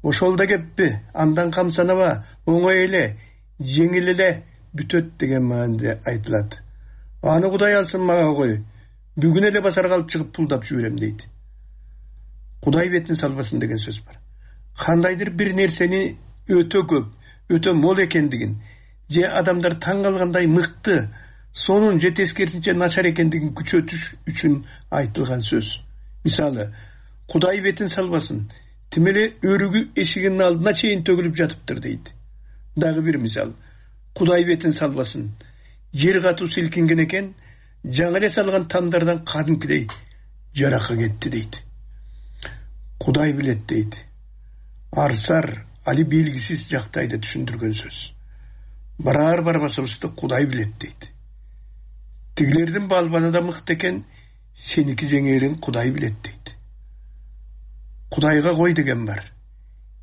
Ошол да кеппи, андан камсанаба, оңой эле, жеңил эле бүтөт деген мааниде айтылат. Аны Кудай алсын мага кой. Бүгүн эле базарга алып чыгып пулдап жиберем дейт. Кудай бетин салбасын деген сөз бар. Кандайдыр бир нерсени өтө көп, өтө мол экендигин, же адамдар таң калгандай мыкты, сонун же тескерисинче начар экендигин күчөтүш үчүн айтылган сөз. Мисалы, Кудай бетин салбасын, тим эле өрүгү эшигинин алдына чейин төгүлүп жатыптыр дейт. Дагы бир мисал, Кудай бетин салбасын, жер катуу силкинген экен, жаңы эле салган тамдардан кадимкидей жарака кетти дейт. Кудай билет дейт. Арсар али белгисиз жактайды түшүндүргөн сөз. Барар барбасыбызды Кудай билет дейт. Тигилердин балбаны да мыкты экен, сеники жеңерин Кудай билет дейт. Кудайга кой деген бар.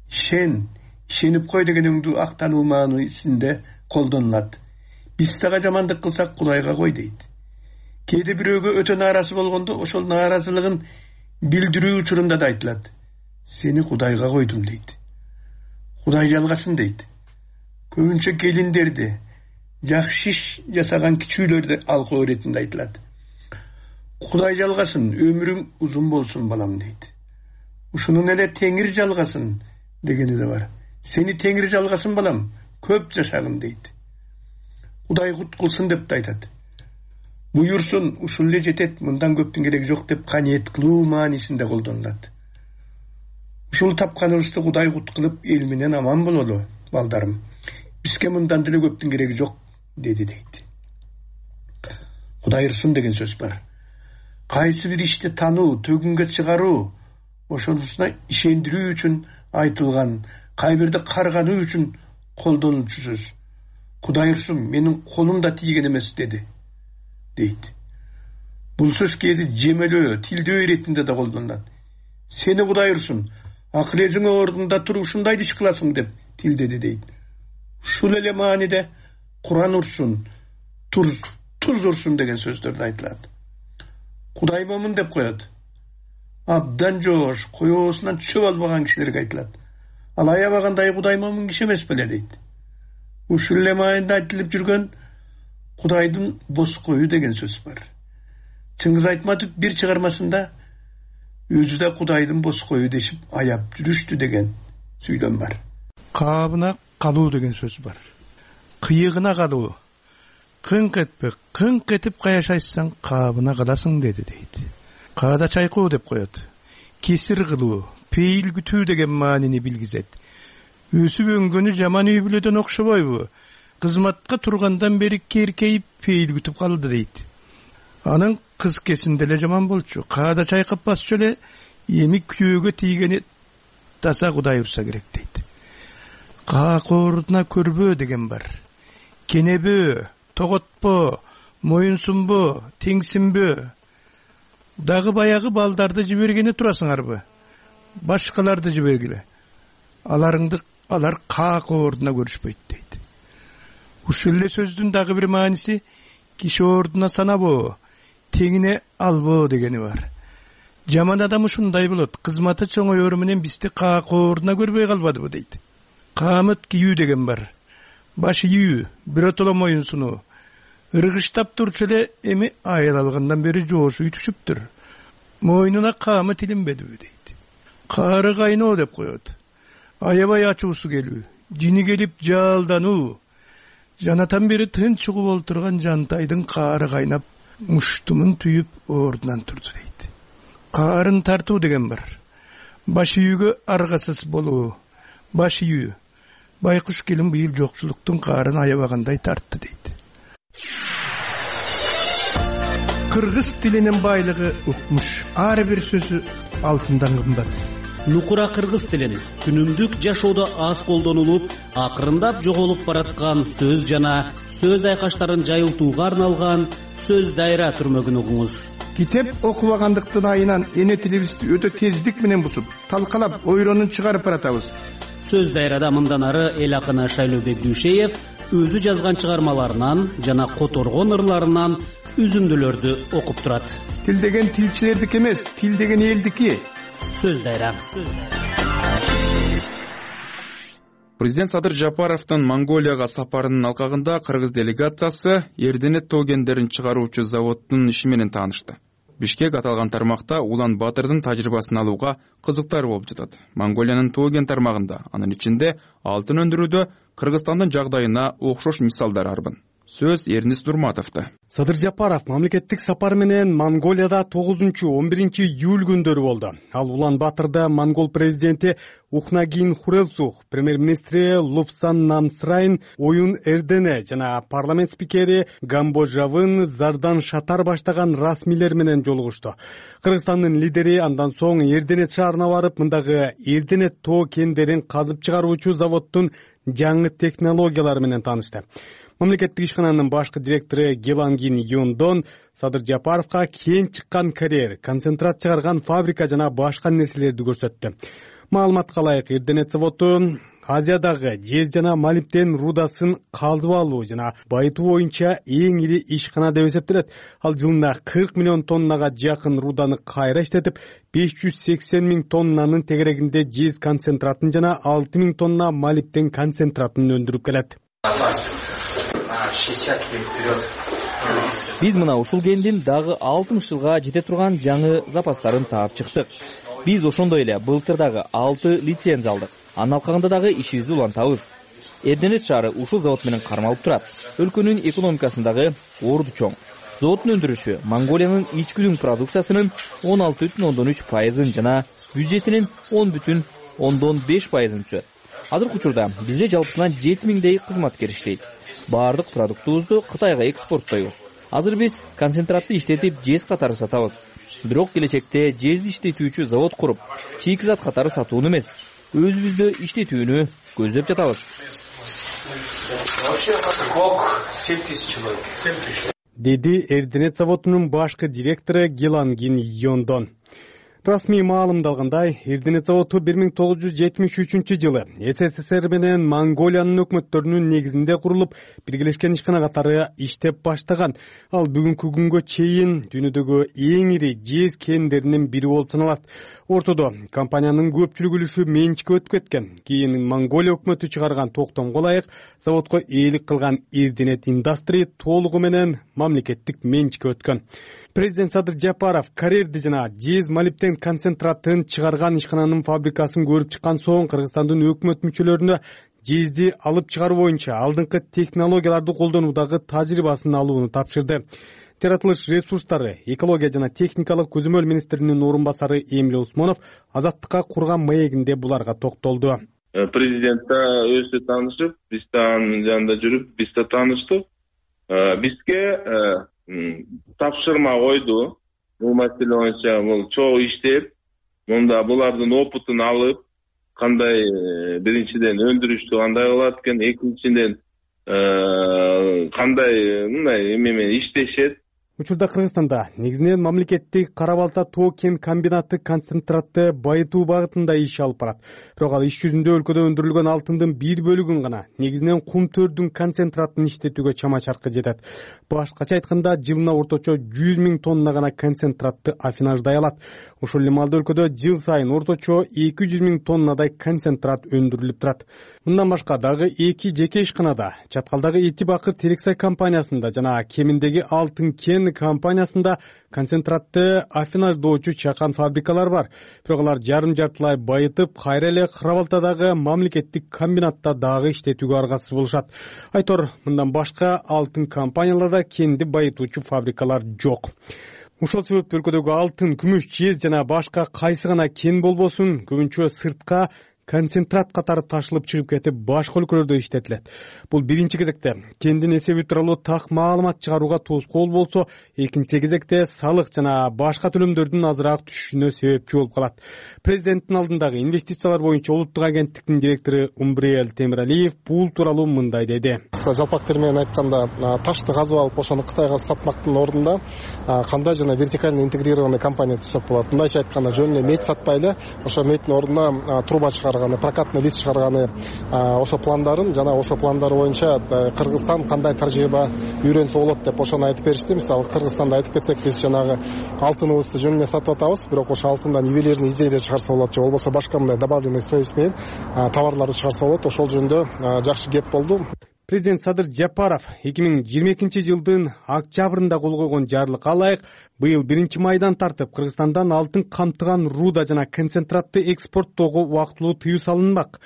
Ишенип кой деген өңдүү актануу маанисинде колдонулат. Биз сага жамандык кылсак Кудайга кой дейт. Кээде бирөөгө өтө нааразы болгондо ошол нааразылыгын билдирүү учурунда да айтылат. Сени Кудайга койдум дейт. Кудай жалгасын дейт. Көбүнчө келиндерди, жакшы иш жасаган кичүүлөрдү алкоо иретинде айтылат. Кудай жалгасын, өмүрүң узун болсун балам дейт. Ушунун эле Теңир жалгасын дегени да бар. Сени Теңир жалгасын балам, көп жашагын дейт. Кудай кут кылсын деп да айтат. Буйурсун, ушул эле жетет, мындан көптүн кереги жок деп каниет кылуу маанисинде колдонулат. Ушул тапканыбызды Кудай кут кылып, эл менен аман бололу, балдарым. Бизге мындан деле көптүн кереги жок, деди дейт. Кудай ырсын деген сөз бар. Кайсы бир ишти тануу, төгүнгө чыгаруу, ошонусуна ишендирүү үчүн айтылган, кайбирди каргануу үчүн колдонулчу сөз. Кудай ырсын, менин колум да тийген эмес деди, дейт. Бул сөз кээде жемелөө, тилдөө иретинде да колдонулат. Сени Кудай ырсын, акыл-эзиң ордунда туруп ушундай иш кыласың деп тилдеди дейт. Ушул эле мааниде Куран урсун, туз урсун деген сөздөрдө айтылат. Кудай момун деп коет. Абдан жоош, коёсунан чөп албаган кишилерге айтылат. Ал аябагандай Кудай момун киши эмес беле дейт. Ушул эле маанинде айтылып жүргөн Кудайдын бос коюу деген сөз бар. Чыңгыз Айтматов бир чыгармасында өзү да Кудайдын бос коюу дешип аяп жүрүштү деген сүйлөм бар. Каабына калуу деген сөз бар. Кыйыгына калуу. Кыңк этпе, кыңк этип кая шайсаң каабына каласың деди дейт. Каада чайкоо деп коет. Кесир кылуу, пейил күтүү деген маанини билгизет. Өсүп өңгөнү жаман үй бүлөдөн окшобойбу? Кызматка тургандан бери керкейип пейил күтүп калды дейт. Анын кыз кесинде эле жаман болчу. Каада чайкап басчу эле эми күйөөгө тийгени таса Кудай урса керек дейт. Каакоордуна көрбөө деген бар. Кенебөө, тоготпо, моюнсунбо, теңсинбөө. Дагы баягы балдарды жибергени турасыңарбы? Башкаларды жибергиле. Алар каакоордуна көрүшпөйт дейт. Ушул эле сөздүн дагы бир мааниси киши ордуна санабоо, теңине албоо дегени бар. Жаман адам ушундай болот. Кызматы чоңоёру менен бизди каакоордуна көрбөй калбадыбы дейт. Каамет кийүү деген бар. Баш ийүү, биротоло моюнсунуу. Ыргыштап турчу эле эми айыл алгандан бери жоосу түшүптүр. Мойнуна каамет илинбедиби дейт. Каары кайноо деп коет. Аябай ачуусу келүү, жини келип жалдануу. Жанатан бери тынч угуп олтурган жантайдын каары кайнап, муштумун түйүп ордунан турду дейт. Каарын тартуу деген бар. Баш үйгө аргасыз болуу. Баш үйү. Байкуш келин быйыл жокчулуктун каарын аябагандай тартты дейт. Кыргыз тилинин байлыгы укмуш. Ар бир сөзү алтындан кымбат. Нукура кыргыз тилин күнүмдүк жашоодо аз колдонулуп, акырындап жоголуп бараткан сөз жана сөз айкаштарын жайылтууга арналган сөз дайра түрмөгүн угуңуз. Китеп окубагандыктын айынан эне тилибизди өтө тездик менен бусуп, талкалап, ойронун чыгарып баратабыз. Сөз дайрада мындан ары эл акыны Шайлообек Дүйшеев өзү жазган чыгармаларынан жана которгон ырларынан үзүндүлөрдү окуп турат. Тил деген тилчилердики эмес, тил деген элдики. Сөз дайра. Президент Садыр Жапаровдун Монголияга сапарынын алкагында кыргыз делегациясы Эрденет тоо кендерин чыгаруучу заводдун иши менен таанышты. Бишкек аталган тармакта Улан Батырдын тажрыйбасын алууга кызыктар болуп жатат. Монголиянын тоо кен тармагында, анын ичинде алтын өндүрүүдө Кыргызстандын жагдайына окшош мисалдар арбын. сөз Эрнис Нурматовдо. Садыр Жапаров мамлекеттик сапар менен Монголияда 9-11 июль күндөрү болду. Ал Улан-Батырда монгол президенти Ухнагин Хурэлсух, премьер-министри Лупсан Намсрайн, Оюн Эрдене жана парламент спикери Гамбожавын Зардан Шатар баштаган расмийлер менен жолугушту. Кыргызстандын лидери андан соң Эрденет шаарына барып, мындагы Эрденет тоо кендерин казып чыгаруучу заводдун жаңы технологиялары менен таанышты. Мамлекеттик ишкананын башкы директору Гелангин Юндон Садыр Жапаровго кен чыккан карьер, концентрат чыгарган фабрика жана башка нерселерди көрсөттү. Маалыматка ылайык, Эрденет заводу Азиядагы жез жана молибден рудасын казып алуу жана байытуу боюнча эң ири ишкана деп эсептелет. Ал жылына 40 миллион тоннага жакын руданы кайра иштетип, 580 миң тоннанын тегерегинде жез концентратын жана 6 миң тонна молибден концентратын өндүрүп келет. Биз мына ушул кендин дагы 60 жылга жете турган жаңы запастарын таап чыктык. Биз ошондой эле былтыр дагы 6 лицензия алдык. Анын алкагында дагы ишибизди улантабыз. Эрденет шаары ушул завод менен кармалып турат. Өлкөнүн экономикасындагы орду чоң. Заводдун өндүрүшү Монголиянын ички продукциясынын 16,3% жана бюджетинин 10,5% түзөт. Азыркы учурда бизде жалпысынан 7000дей кызматкер иштейт. Баардык продуктубузду Кытайга экспорттойбуз. Азыр биз концентратты иштетип жез катары сатабыз. Бирок келечекте жезди иштетүүчү завод куруп, чийкизат катары сатууну эмес, өзүбүздө иштетүүнү көздөп жатабыз. Деди Эрденет заводунун башкы директору Гелангин Йондон. Расмий маалымдалгандай, Эрденет заводу 1973 жылы СССР менен Монголиянын өкмөттөрүнүн негизинде курулуп, биргелешкен ишкана катары иштеп баштаган. Ал бүгүнкү күнгө чейин дүйнөдөгү эң ири жез кендеринин бири болуп саналат. Ортодо компаниянын көпчүлүк үлүшү менчикке өтүп кеткен. Кийин Монголия өкмөтү чыгарган токтомго ылайык заводко ээлик кылган Эрденет Индастри толугу менен мамлекеттик менчикке өткөн. Президент Садыр Жапаров карьерди жана жез молибден концентратын чыгарган ишкананын фабрикасын көрүп чыккан соң Кыргызстандын өкмөт мүчөлөрүнө жезди алып чыгаруу боюнча алдыңкы технологияларды колдонуудагы тажрыйбасын алууну тапшырды. Жаратылыш ресурстары, экология жана техникалык көзөмөл министринин орун басары Эмиль Усмонов Азаттыкка курган маегинде буларга токтолду. Президентте өзү таанышып, биз анын жанында жүрүп, биз да тааныштык. Бизге тапшырма койду. Бул маселе боюнча бул чогуу иштеп, мында булардын опытын алып, кандай биринчиден өндүрүштү кандай кылат экен, экинчиден кандай мындай эме иштешет. Учурда Кыргызстанда негизинен мамлекеттик кара балта тоо кен комбинаты концентратты байытуу багытында иш алып барат. Бирок ал иш жүзүндө өлкөдө өндүрүлгөн алтындын бир бөлүгүн гана, негизинен кум төрдүн концентратын иштетүүгө чама-чаркы жетет. Башкача айтканда, жылына орточо 100 миң тонна гана концентратты афинаждай алат. Ошол эле маалда өлкөдө жыл сайын орточо 200 миң тоннадай концентрат өндүрүлүп турат. Мындан башка дагы 2 жеке ишканада, Чаткалдагы Эти Бакыр Терексай компаниясында жана Кеминдеги Алтын кен компаниясында концентратты афинаждоочу чакан фабрикалар бар. Бирок алар жарым-жартылай байытып, кайра эле Кырабалтадагы мамлекеттик комбинатта дагы иштетүүгө аргасыз болушат. Айтор, мындан башка алтын компанияларда кенди байытуучу фабрикалар жок. Ошол себептен өлкөдөгү алтын, күмүш, жез жана башка кайсы гана кен болбосун, көбүнчө сыртка концентрат катары ташылып чыгып кетип, башка өлкөлөрдө иштетилет. Бул биринчи кезекте кендин эсеби тууралуу так маалымат чыгарууга тоскоол болсо, экинчи кезекте салык жана башка төлөмдөрдүн азыраак түшүшүнө себепчи болуп калат. Президенттин алдындагы инвестициялар боюнча улуттук агенттиктин директору Умбриел Темиралиев бул тууралуу мындай деди. Жалпак тил менен айтканда, ташты казып алып, ошону Кытайга сатмактын ордунда кандай жана вертикально интегрированный компания түзсөк болот. Мындайча айтканда, жөн эле мед сатпай эле, ошо меддин ордуна труба прокатный лист чыгарганы, ошо пландарын жана ошо пландар боюнча Кыргызстан кандай тажрыйба үйрөнсө болот деп ошону айтып беришти. Мисалы Кыргызстанда айтып кетсек, биз жанагы алтыныбызды жөн эле сатып атабыз, бирок ошо алтындан ювелирный изделие чыгарса болот же болбосо башка мындай добавленный стоимость менен товарларды чыгарса болот. Ошол жөнүндө жакшы кеп болду. Президент Садыр Жапаров 2022 жылдын октябрында кол койгон жарлыкка ылайык быйыл 1-майдан тартып Кыргызстандан алтын камтыган руда жана концентратты экспорттоого убактылуу тыюу салынмак.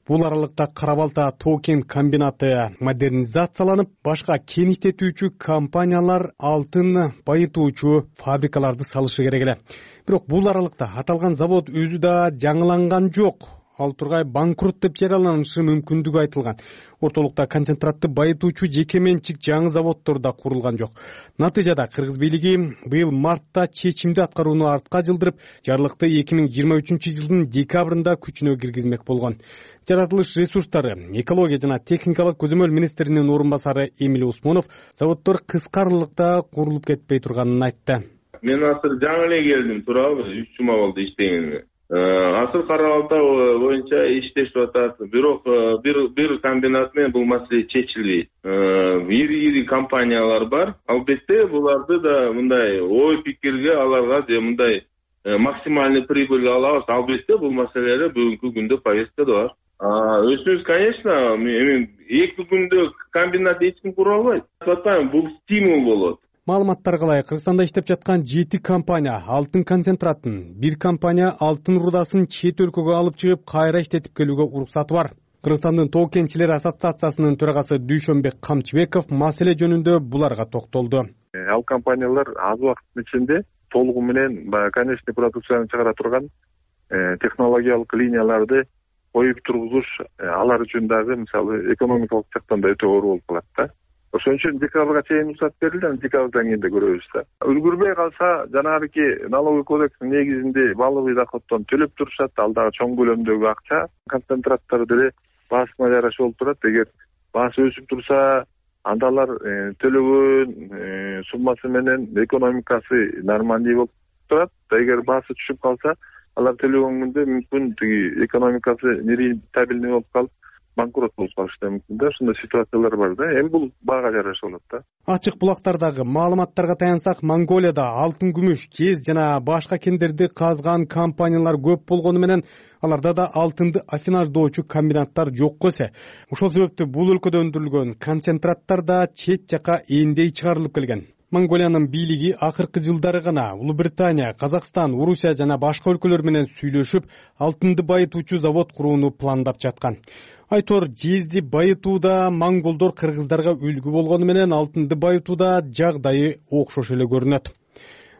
Бул аралыкта Кара Балта тоо кен комбинаты модернизацияланып, башка кен иштетүүчү компаниялар алтын байытуучу фабрикаларды салышы керек эле. Бирок бул аралыкта аталган завод өзү да жаңыланган жок. Ал тургай банкрот деп жарыяланышы мүмкүндүгү айтылган. Ортолукта концентратты байытуучу жеке менчик жаңы заводдор да курулган жок. Натыйжада кыргыз бийлиги быйыл мартта чечимди аткарууну артка жылдырып, жарлыкты 2023-жылдын декабрында күчүнө киргизмек болгон. Жаратылыш ресурстары, экология жана техникалык көзөмөл министринин орун басары Эмиль Усмонов заводдор кыска аралыкта курулуп кетпей турганын айтты. Мен азыр жаңы эле келдим, туурабы? 3 жума болду иштегениме. Азыр Кара Балта боюнча иштешип атат. Бирок бир комбинат менен бул маселе чечилбейт. Ири компаниялар бар. Албетте буларды да мындай ой пикирге аларга же мындай максимальный прибыль алабыз. Албетте бул маселелер бүгүнкү күндө повесткада бар. Өзүбүз, конечно, эми 2 күндө комбинат эч ким кура албайт. Атпайм, бул стимул болот. Маалыматтарга ылайык, Кыргызстанда иштеп жаткан 7 компания алтын концентратын, 1 компания алтын рудасын чет өлкөгө алып чыгып, кайра иштетип келүүгө уруксаты бар. Кыргызстандын тоо кенчилери ассоциациясынын төрагасы Дүйшөнбек Камчыбеков маселе жөнүндө буларга токтолду. Ал компаниялар аз убакыттын ичинде толугу менен конечный продукцияны чыгара турган технологиялык линияларды коюп тургузуш алар үчүн дагы мисалы экономикалык жактан да өтө оор болуп калат да. Ошон үчүн декабрга чейин уруксат берилди, декабрдан кийин да көрөбүз да. Үлгүрбөй калса, жанагы налоговый кодекстин негизинде баалыгый доходдон төлөп турушат, ал дагы чоң көлөмдөгү акча. Концентраттар деле баасына жараша болуп турат. Эгер баасы өсүп турса, анда алар төлөгөн суммасы менен экономикасы нормальный болуп турат. Эгер баасы түшүп калса, алар төлөгөн күндө мүмкүн тиги экономикасы нерентабельный болуп калып, банкрот болуп калышы да мүмкүн да. Ушундай ситуациялар бар да. Эми бул баага жараша болот да. Ачык булактардагы маалыматтарга таянсак, Монголияда алтын, күмүш, жез жана башка кендерди казган компаниялар көп болгону менен аларда да алтынды афинаждоочу комбинаттар жокко эсе. Ошол себептүү бул өлкөдө өндүрүлгөн концентраттар да чет жака эндей чыгарылып келген. Монголиянын бийлиги акыркы жылдары гана Улуу Британия, Казакстан, Орусия жана башка өлкөлөр менен сүйлөшүп, алтынды байытуучу завод курууну пландап жаткан. Айтор, жезди байытууда монголдор кыргыздарга үлгү болгону менен алтынды байытууда жагдайы окшош эле көрүнөт.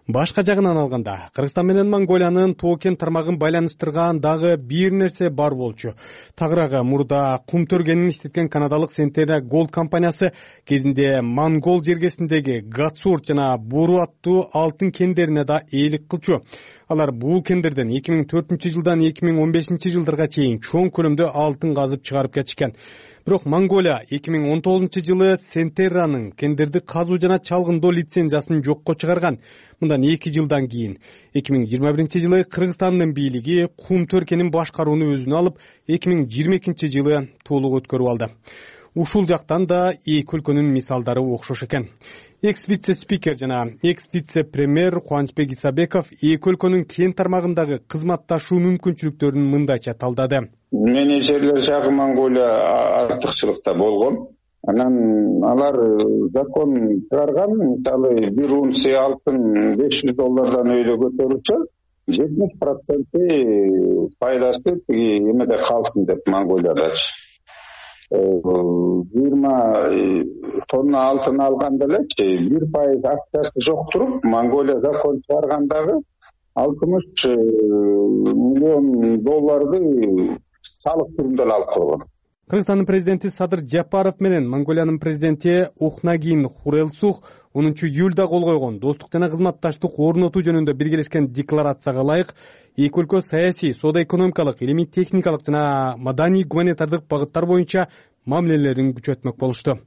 Башка жагынан алганда, Кыргызстан менен Монголиянын тоо кен тармагын байланыштырган дагы бир нерсе бар болчу. Тагыраагы мурда кум төргенин иштеткен канадалык Centerra Gold компаниясы кезинде Монгол жергесиндеги Гатсурт жана Буру аттуу алтын кендерине да ээлик кылчу. Алар бул кендерден 2004-жылдан 2015-жылдарга чейин чоң көлөмдө алтын казып чыгарып кетишкен. Бирок Монголия 2019-жылы Centerra'нын кендерди казуу жана чалгындоо лицензиясын жокко чыгарган. Мындан 2 жылдан кийин 2021-жылы Кыргызстандын бийлиги кум төркенин башкарууну өзүнө алып, 2022-жылы толук өткөрүп алды. Ушул жактан да эки өлкөнүн мисалдары окшош экен. Экс-вице-спикер жана экс-вице-премьер Кубанычбек Исабеков эки өлкөнүн кен тармагындагы кызматташуу мүмкүнчүлүктөрүн мындайча талдады. Менеджерлер жагы Монголия артыкчылыкта болгон. Анан алар закон чыгарган, мисалы бир унция алтын $500 өйдө көтөрүлсө, 70% пайдасы тиги эмеде калсын деп Монголиядачы. 20 тонна алтын алганда элечи 1% акчасы жок туруп, Монголия закон чыгаргандагы $60 миллион салык түрүндө алып койгон. Кыргызстандын президенти Садыр Жапаров менен Монголиянын президенти Ухнагин Хурэлсух 10-июлда кол койгон достук жана кызматташтык орнотуу жөнүндө биргелешкен декларацияга ылайык эки өлкө саясий, соода-экономикалык, илимий техникалык жана маданий гуманитардык багыттар боюнча мамилелерин күчөтмөк болушту.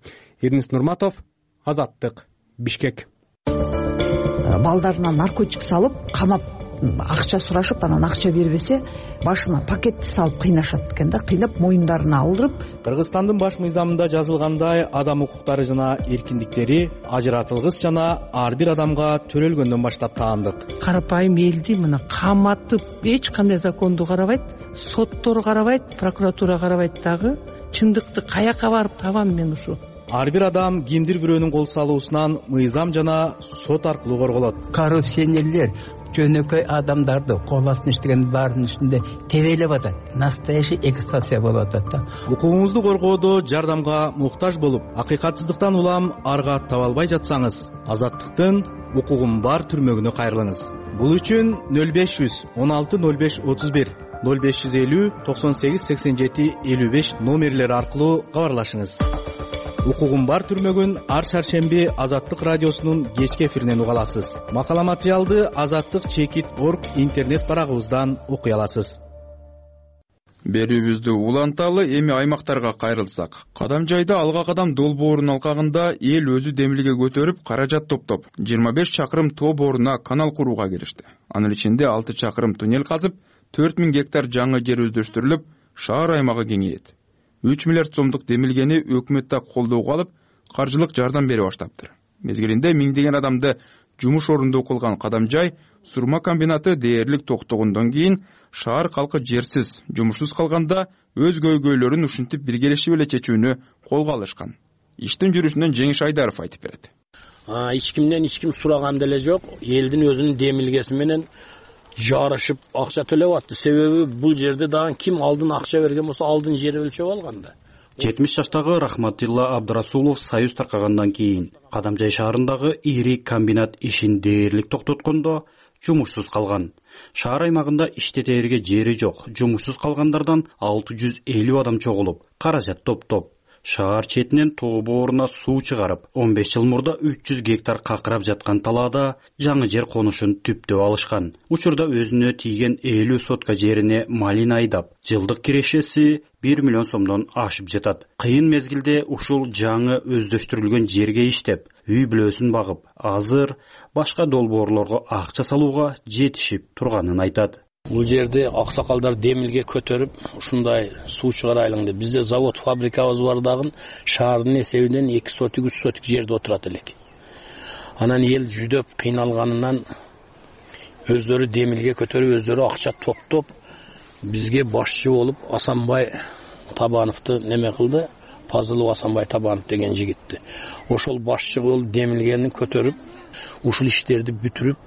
Эрнис Нурматов, Азаттык, Бишкек. Балдарына наркотик салып, камап, акча сурашып, анан акча бербесе, башына пакетти салып кыйнашат экен да, кыйнап моюндарына алдырып. Кыргызстандын баш мыйзамында жазылгандай, адам укуктары жана эркиндиктери ажыратылгыс жана ар бир адамга төрөлгөндөн баштап таандык. Карапайым элди мына каматып, эч кандай законду карабайт, соттор карабайт, прокуратура карабайт дагы. Чындыкты каяка барып табам мен ушу? Ар бир адам кимдир бирөөнүн кол салуусунан мыйзам жана сот аркылуу корголот. Коррупционерлер жөнөкөй адамдарды кол астына иштеген баардын үстүндө тебелеп атат. Настоящий экстазия болуп атат да. Укугуңузду коргоодо жардамга муктаж болуп, акыйкатсыздыктан улам арга таба албай жатсаңыз, Азаттыктын укугум бар түрмөгүнө кайрылыңыз. Бул үчүн 0500 16 05 31 0550 98 87 55 номерлери аркылуу кабарлашыңыз. Укугум бар түрмөгүн ар шаршемби Азаттык радиосунун кечки эфиринен уга аласыз. Макала материалды azаттык.org интернет барагыбыздан окуй аласыз. Берүүбүздү уланталы, эми аймактарга кайрылсак. Кадамжайда алга кадам долбоорунун алкагында эл өзү демилге көтөрүп, каражат топтоп 25 чакырым тоо бооруна канал курууга киришти. Анын ичинде 6 чакырым туннель казып, 4000 гектар жаңы жер өздөштүрүлүп, шаар аймагы кеңейет. 3 миллиард сомдук демилгени өкмөт да колдоого алып, каржылык жардам бере баштаптыр. Мезгилинде миңдеген адамды жумуш орунду кылган Кадамжай сурма комбинаты дээрлик токтогондон кийин шаар калкы жерсиз, жумушсуз калганда өз көйгөйлөрүн ушинтип биргелешип эле чечүүнү колго алышкан. Иштин жүрүшүнөн Жеңиш Айдаров айтып берет. Эч кимден эч ким сураган деле жок. Элдин өзүнүн демилгеси менен жарышып акча төлөп атты. Себеби бул жерде дагы ким алдын акча берген болсо, алдын жер өлчөп алган да. 70 жаштагы Рахматилла Абдрасулов союз таркагандан кийин Кадамжай шаарындагы ири комбинат ишин дээрлик токтоткондо жумушсуз калган. Шаар аймагында иштетерге жери жок. Жумушсуз калгандардан 650 адам чогулуп, каражат топтоп, шаар четинен тоо бооруна суу чыгарып, 15 жыл мурда 300 гектар какырап жаткан талаада жаңы жер конушун түптөп алышкан. Учурда өзүнө тийген 50 сотка жерине малина айдап, жылдык кирешеси 1 миллион сомдон ашып жатат. Кыйын мезгилде ушул жаңы өздөштүрүлгөн жерге иштеп, үй бүлөсүн багып, азыр башка долбоорлорго акча салууга жетишип турганын айтат. Бул жерде аксакалдар демилге көтөрүп, ушундай суу чыгарайлың деп, бизде завод, фабрикабыз бар дагы шаардын эсебинен 2 сотик, 3 сотик жерде отурат элек. Анан эл жүдөп кыйналганынан өздөрү демилге көтөрүп, өздөрү акча топтоп, бизге башчы болуп Асанбай Табановду неме кылды, Пазылов Асанбай Табанов деген жигитти. Ошол башчы болуп демилгени көтөрүп, ушул иштерди бүтүрүп,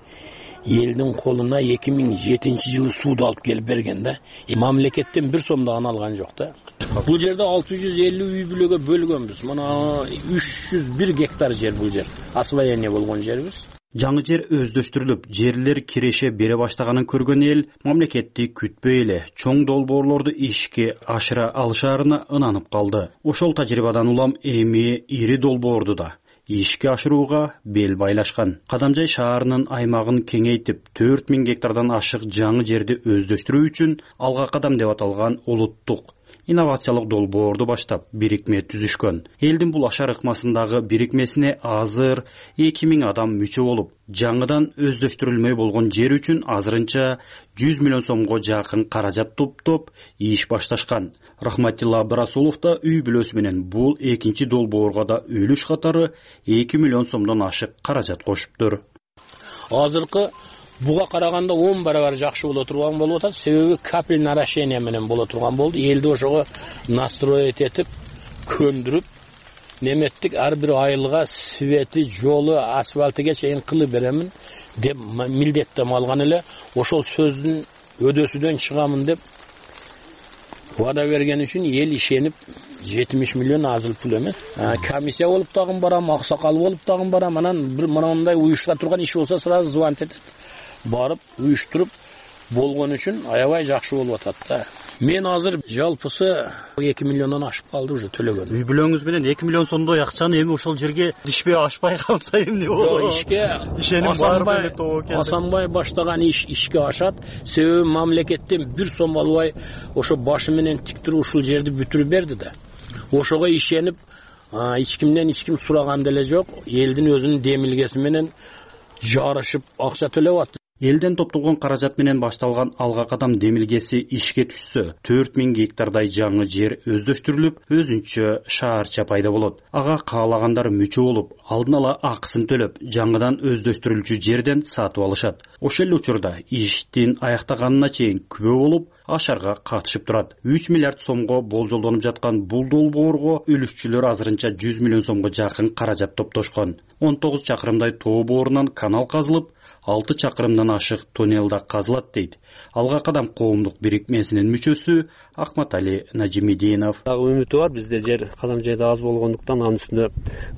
элдин колуна 2007 жылы сууду алып келип берген да. Мамлекеттен 1 сом да алган жок да. Бул жерде 650 үй бүлөгө бөлгөнбүз. Мына 301 гектар жер бул жер. Освоение болгон жербиз. Жаңы жер өздөштүрүлүп, жерлер киреше бере баштаганын көргөн эл мамлекетти күтпөй эле чоң долбоорлорду ишке ашыра алышаарына ынанып калды. Ошол тажрыйбадан улам эми ири долбоорду да ишке ашырууга бел байлашкан. Кадамжай шаарынын аймагын кеңейтип, 4000 гектардан ашык жаңы жерди өздөштүрүү үчүн алга кадам деп аталган улуттук инновациялык долбоорду баштап бирикме түзүшкөн. Элдин бул ашар ыкмасындагы бирикмесине азыр 2000 адам мүчө болуп, жаңыдан өздөштүрүлмөй болгон жер үчүн азырынча 100 миллион сомго жакын каражат топтоп иш башташкан. Рахматилла Абдрасулов да үй бүлөсү менен бул экинчи долбоорго да үлүш катары 2 миллион сомдон ашык каражат кошуптур. Азыркы буга караганда 10 барабар жакшы боло турган болуп атат. Себеби капельный орошение менен боло турган болду. Элди ошого настроить этип, көндүрүп, неметтик ар бир айылга свети, жолу, асфальтыга чейин кылып беремин деп милдеттем алган эле. Ошол сөздүн өдөсүдөн чыгамын деп вада берген үчүн эл ишенип 70 миллион азыл пул эмес. Комиссия болуп дагы барам, аксакал болуп дагы барам. Анан бир мындай уюштура турган иш болсо сразу звонить этет. Барып уюштуруп болгон үчүн аябай жакшы болуп атат да. Мен азыр жалпысы 2 миллиондон ашып калды уже төлөгөн. Үй бүлөңүз менен 2 миллион сомдой акчаны эми ошол жерге ишпей ашпай калса эмне болот? Ишке Асанбай баштаган ишке ашат. Себеби мамлекеттен 1 сом албай ошо башы менен тик туруп ушул жерди бүтүрүп берди да. Ошого ишенип, эч кимден эч ким сураган деле жок. Элдин өзүнүн демилгеси менен жарышып акча төлөп атты. Элден топтолгон каражат менен башталган алга кадам демилгеси ишке түшсө, 4000 гектардай жаңы жер өздөштүрүлүп, өзүнчө шаарча пайда болот. Ага каалагандар мүчө болуп, алдын ала акысын төлөп, жаңыдан өздөштүрүлчү жерден сатып алышат. Ошол эле учурда иштин аяктаганына чейин күбө болуп, ашарга катышып турат. 3 миллиард сомго болжолдонуп жаткан бул долбоорго үлүшчүлөр азырынча 100 миллион сомго жакын каражат топтошкон. 19 чакырымдай тоо боорунан канал казылып, 6 чакырымдан ашык туннел да казылат дейт Алга кадам коомдук бирикмесинин мүчөсү Акматали Нажимидинов. Дагы үмүтү бар, бизде жер Кадамжайда аз болгондуктан анын үстүндө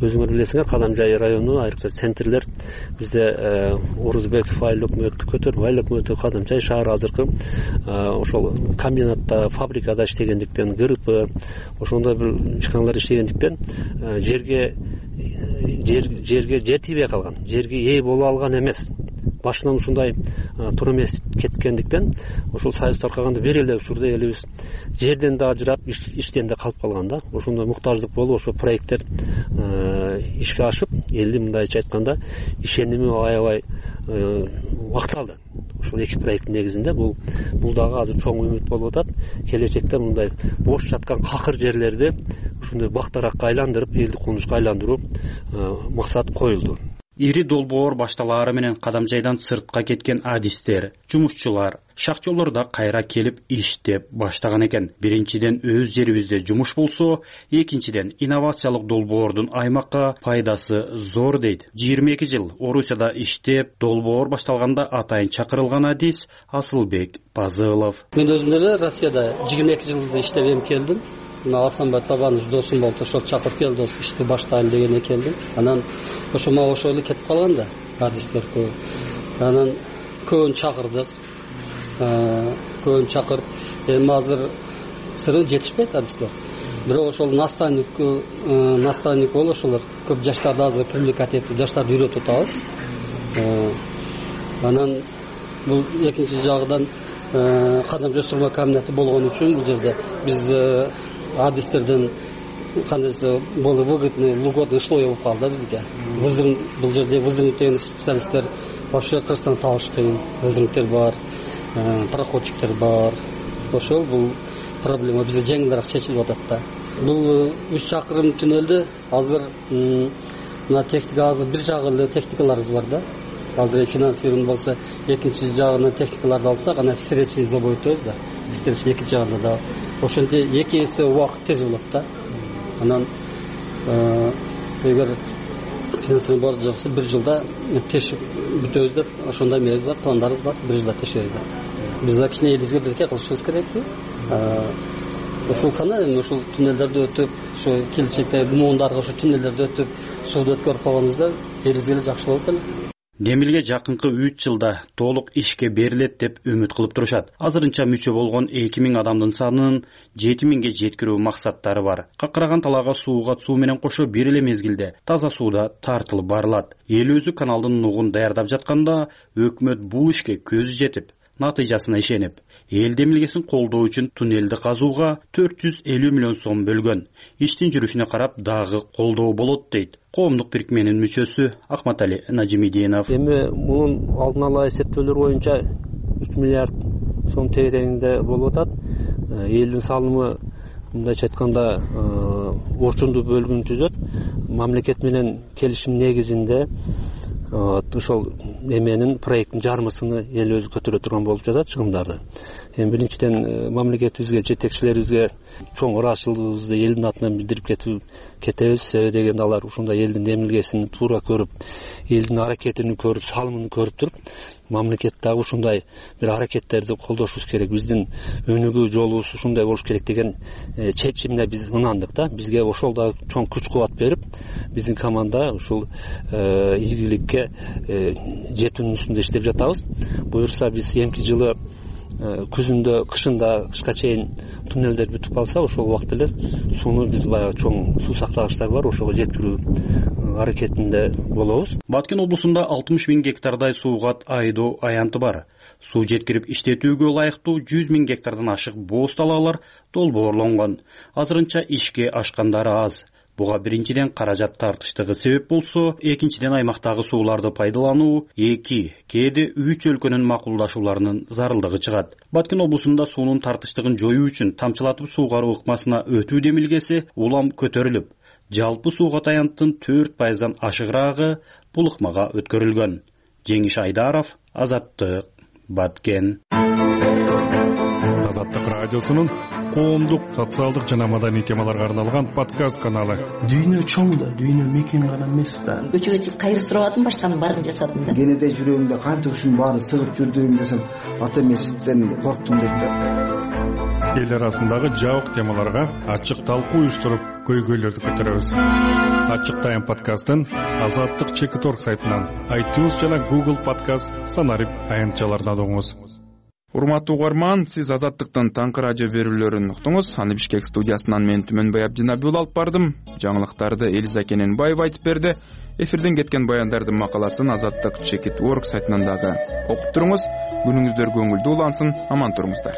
өзүңөр билесиңер, Кадамжай району айрыкча центрлер бизде Орузбеков айыл өкмөтү, Көтөрбай айыл өкмөтү, Кадамжай шаары азыркы ошол комбинатта, фабрикада иштегендиктен, ГРП ошондой бир ишканалар иштегендиктен жерге жер тийбей калган, жерге ээ боло алган эмес. Башынан ушундай туура эмес кеткендиктен ошол союз таркаганда бир эле учурда элибиз жерден да ажырап, иштен да калып калган да. Ошондой муктаждык болуп, ошо проекттер ишке ашып, элди мындайча айтканда ишеними аябай убакыт алды. Ошол эки проекттин негизинде бул дагы азыр чоң үмүт болуп атат. Келечекте мындай бош жаткан какыр жерлерди ушундай бактаракка айландырып, элди конушка айландыруу максат коюлду. Ири долбоор башталаары менен Кадамжайдан сыртка кеткен адистер, жумушчулар, шахтёрлорда кайра келип иштеп баштаган экен. Биринчиден өз жерибизде жумуш болсо, экинчиден инновациялык долбоордун аймакка пайдасы зор дейт. 22 жыл Орусияда иштеп, долбоор башталганда атайын чакырылган адис Асылбек Пазылов. Мен өзүм деле Россияда 22 жылда иштеп эми келдим. Асанбай Табанович досум болду, ошол чакырып келди, ошо ишти баштайын дегенге келдим. Анан ошо мага ошол эле кетип калган да, адистер көп. Анан көбүн чакырдык. Эми азыр сыры жетишпейт адистер. Бирок ошол наставник болуп ошолор көп жаштарды азыр привлекать этип, жаштарды үйрөтүп атабыз. Анан бул экинчи жагынан Кадамжай сурма комбинаты болгон үчүн бул жерде биз адистерден кандайсы болу выгодный, льготный условия болуп калды бизге. Бул жерде вызырник деген специалисттер вообще Кыргызстанда табыш кыйын. Вызырниктер бар, проходчиктер бар. Ошол бул проблема бизде жеңилирээк чечилип атат да. Бул 3 чакырым туннелди азыр мына техника азыр бир жагы эле техникаларыбыз бар да. Азыр финансирование болсо экинчи жагынан техникаларды алсак, анан встречный забой өтөбүз да. Встречный экинчи жагында да. Ошентип 2 эсе убакыт тез болот да. Анан эгер финансирование бар жоксо 1 жылда тешип бүтөбүз деп ошондой эмебиз бар, пландарыбыз бар, 1 жылда тешебиз да. Биз кичине элибизге бирке кылышыбыз керекпи? Ошол кандай ошол туннелдерди өтүп, ошо келечекте муундарга ошо туннелдерди өтүп, сууду өткөрүп калганыбызда элибизге жакшы болот эле. Демилге жакынкы 3 жылда толук ишке берилет деп үмүт кылып турушат. Азырынча мүчө болгон 2000 адамдын санын 7000ге жеткирүү максаттары бар. Какыраган талаага сууга суу менен кошо бир эле мезгилде таза сууда тартылып барылат. Эл өзү каналдын нугун даярдап жатканда өкмөт бул ишке көзү жетип, натыйжасына ишенип, эл демилгесин колдоо үчүн туннелди казууга 450 миллион сом бөлгөн. Иштин жүрүшүнө карап дагы колдоо болот дейт коомдук бирикменин мүчөсү Акматали Нажимидинов. Эми мунун алдын ала эсептөөлөр боюнча 3 миллиард сом тегерегинде болуп атат. Элдин салымы мындайча айтканда орчундуу бөлүгүн түзөт. Мамлекет менен келишим негизинде ошол эменин проекттин жармысыны эл өзү көтөрө турган болуп жатат чыгымдарды. Эми биринчиден мамлекетибизге, жетекчилерибизге чоң ыраазычылыгыбызды элдин атынан билдирип кетебиз. Себеби дегенде алар ушундай элдин демилгесин туура көрүп, элдин аракетин көрүп, салымын көрүп туруп, мамлекет дагы ушундай бир аракеттерди колдошубуз керек. Биздин өнүгүү жолубуз ушундай болуш керек деген чечимине биз ынандык да. Бизге ошол да чоң күч-кубат берип, биздин команда ушул ийгиликке жетүүнүн үстүндө иштеп жатабыз. Буюрса биз эмки жылы күзүндө, кышында, кышка чейин туннелдер бүтүп калса, ошол убакыт эле сууну биз баягы чоң суу сактагычтар бар, ошого жеткирүү аракетинде болобуз. Баткен облусунда 60 000 гектардай суугат айдоо аянты бар. Суу жеткирип иштетүүгө ылайыктуу 100 000 гектардан ашык бооз талаалар долбоорлонгон. Азырынча ишке ашкандары аз. Буга биринчиден каражат тартыштыгы себеп болсо, экинчиден аймактагы сууларды пайдалануу 2, кээде 3 өлкөнүн макулдашууларынын зарылдыгы чыгат. Баткен облусунда суунун тартыштыгын жоюу үчүн тамчылатып суугаруу ыкмасына өтүү демилгеси улам көтөрүлүп, жалпы суугат аянттын 4%дан ашыгыраагы бул ыкмага өткөрүлгөн. Жеңиш Айдаров, Азаттык, Баткен. Азаттык радиосунун коомдук, социалдык жана маданий темаларга арналган подкаст каналы. Дүйнө чоң да, дүйнө мекен гана эмес да. Көчөгө чыгып кайыр сурабадым, башканын баарын жасадым да. Кенеде жүрөгүңдө канча ушунун баарын сыгып жүрдүң десем, ата эмесизден корктум деп да. Эл арасындагы жабык темаларга ачык талкуу уюштуруп, көйгөйлөрдү көтөрөбүз. Ачык Тайм подкастын Азаттык Чекит.org сайтынан, iTunes жана Google Podcast станарып аянтчаларынан угуңуз. Урматтуу угарман, сиз Азаттыктын таңкы радио берүүлөрүн уктуңуз. Аны Бишкек студиясынан мен Түмөнбай Абдинабиул алып бардым. Жаңылыктарды Элиза Кененбаева айтып берди. Эфирден кеткен баяндардын макаласын Азаттык Чекит.org сайтынан дагы окуп туруңуз. Күнүңүздөр көңүлдүү улансын, аман туруңуздар.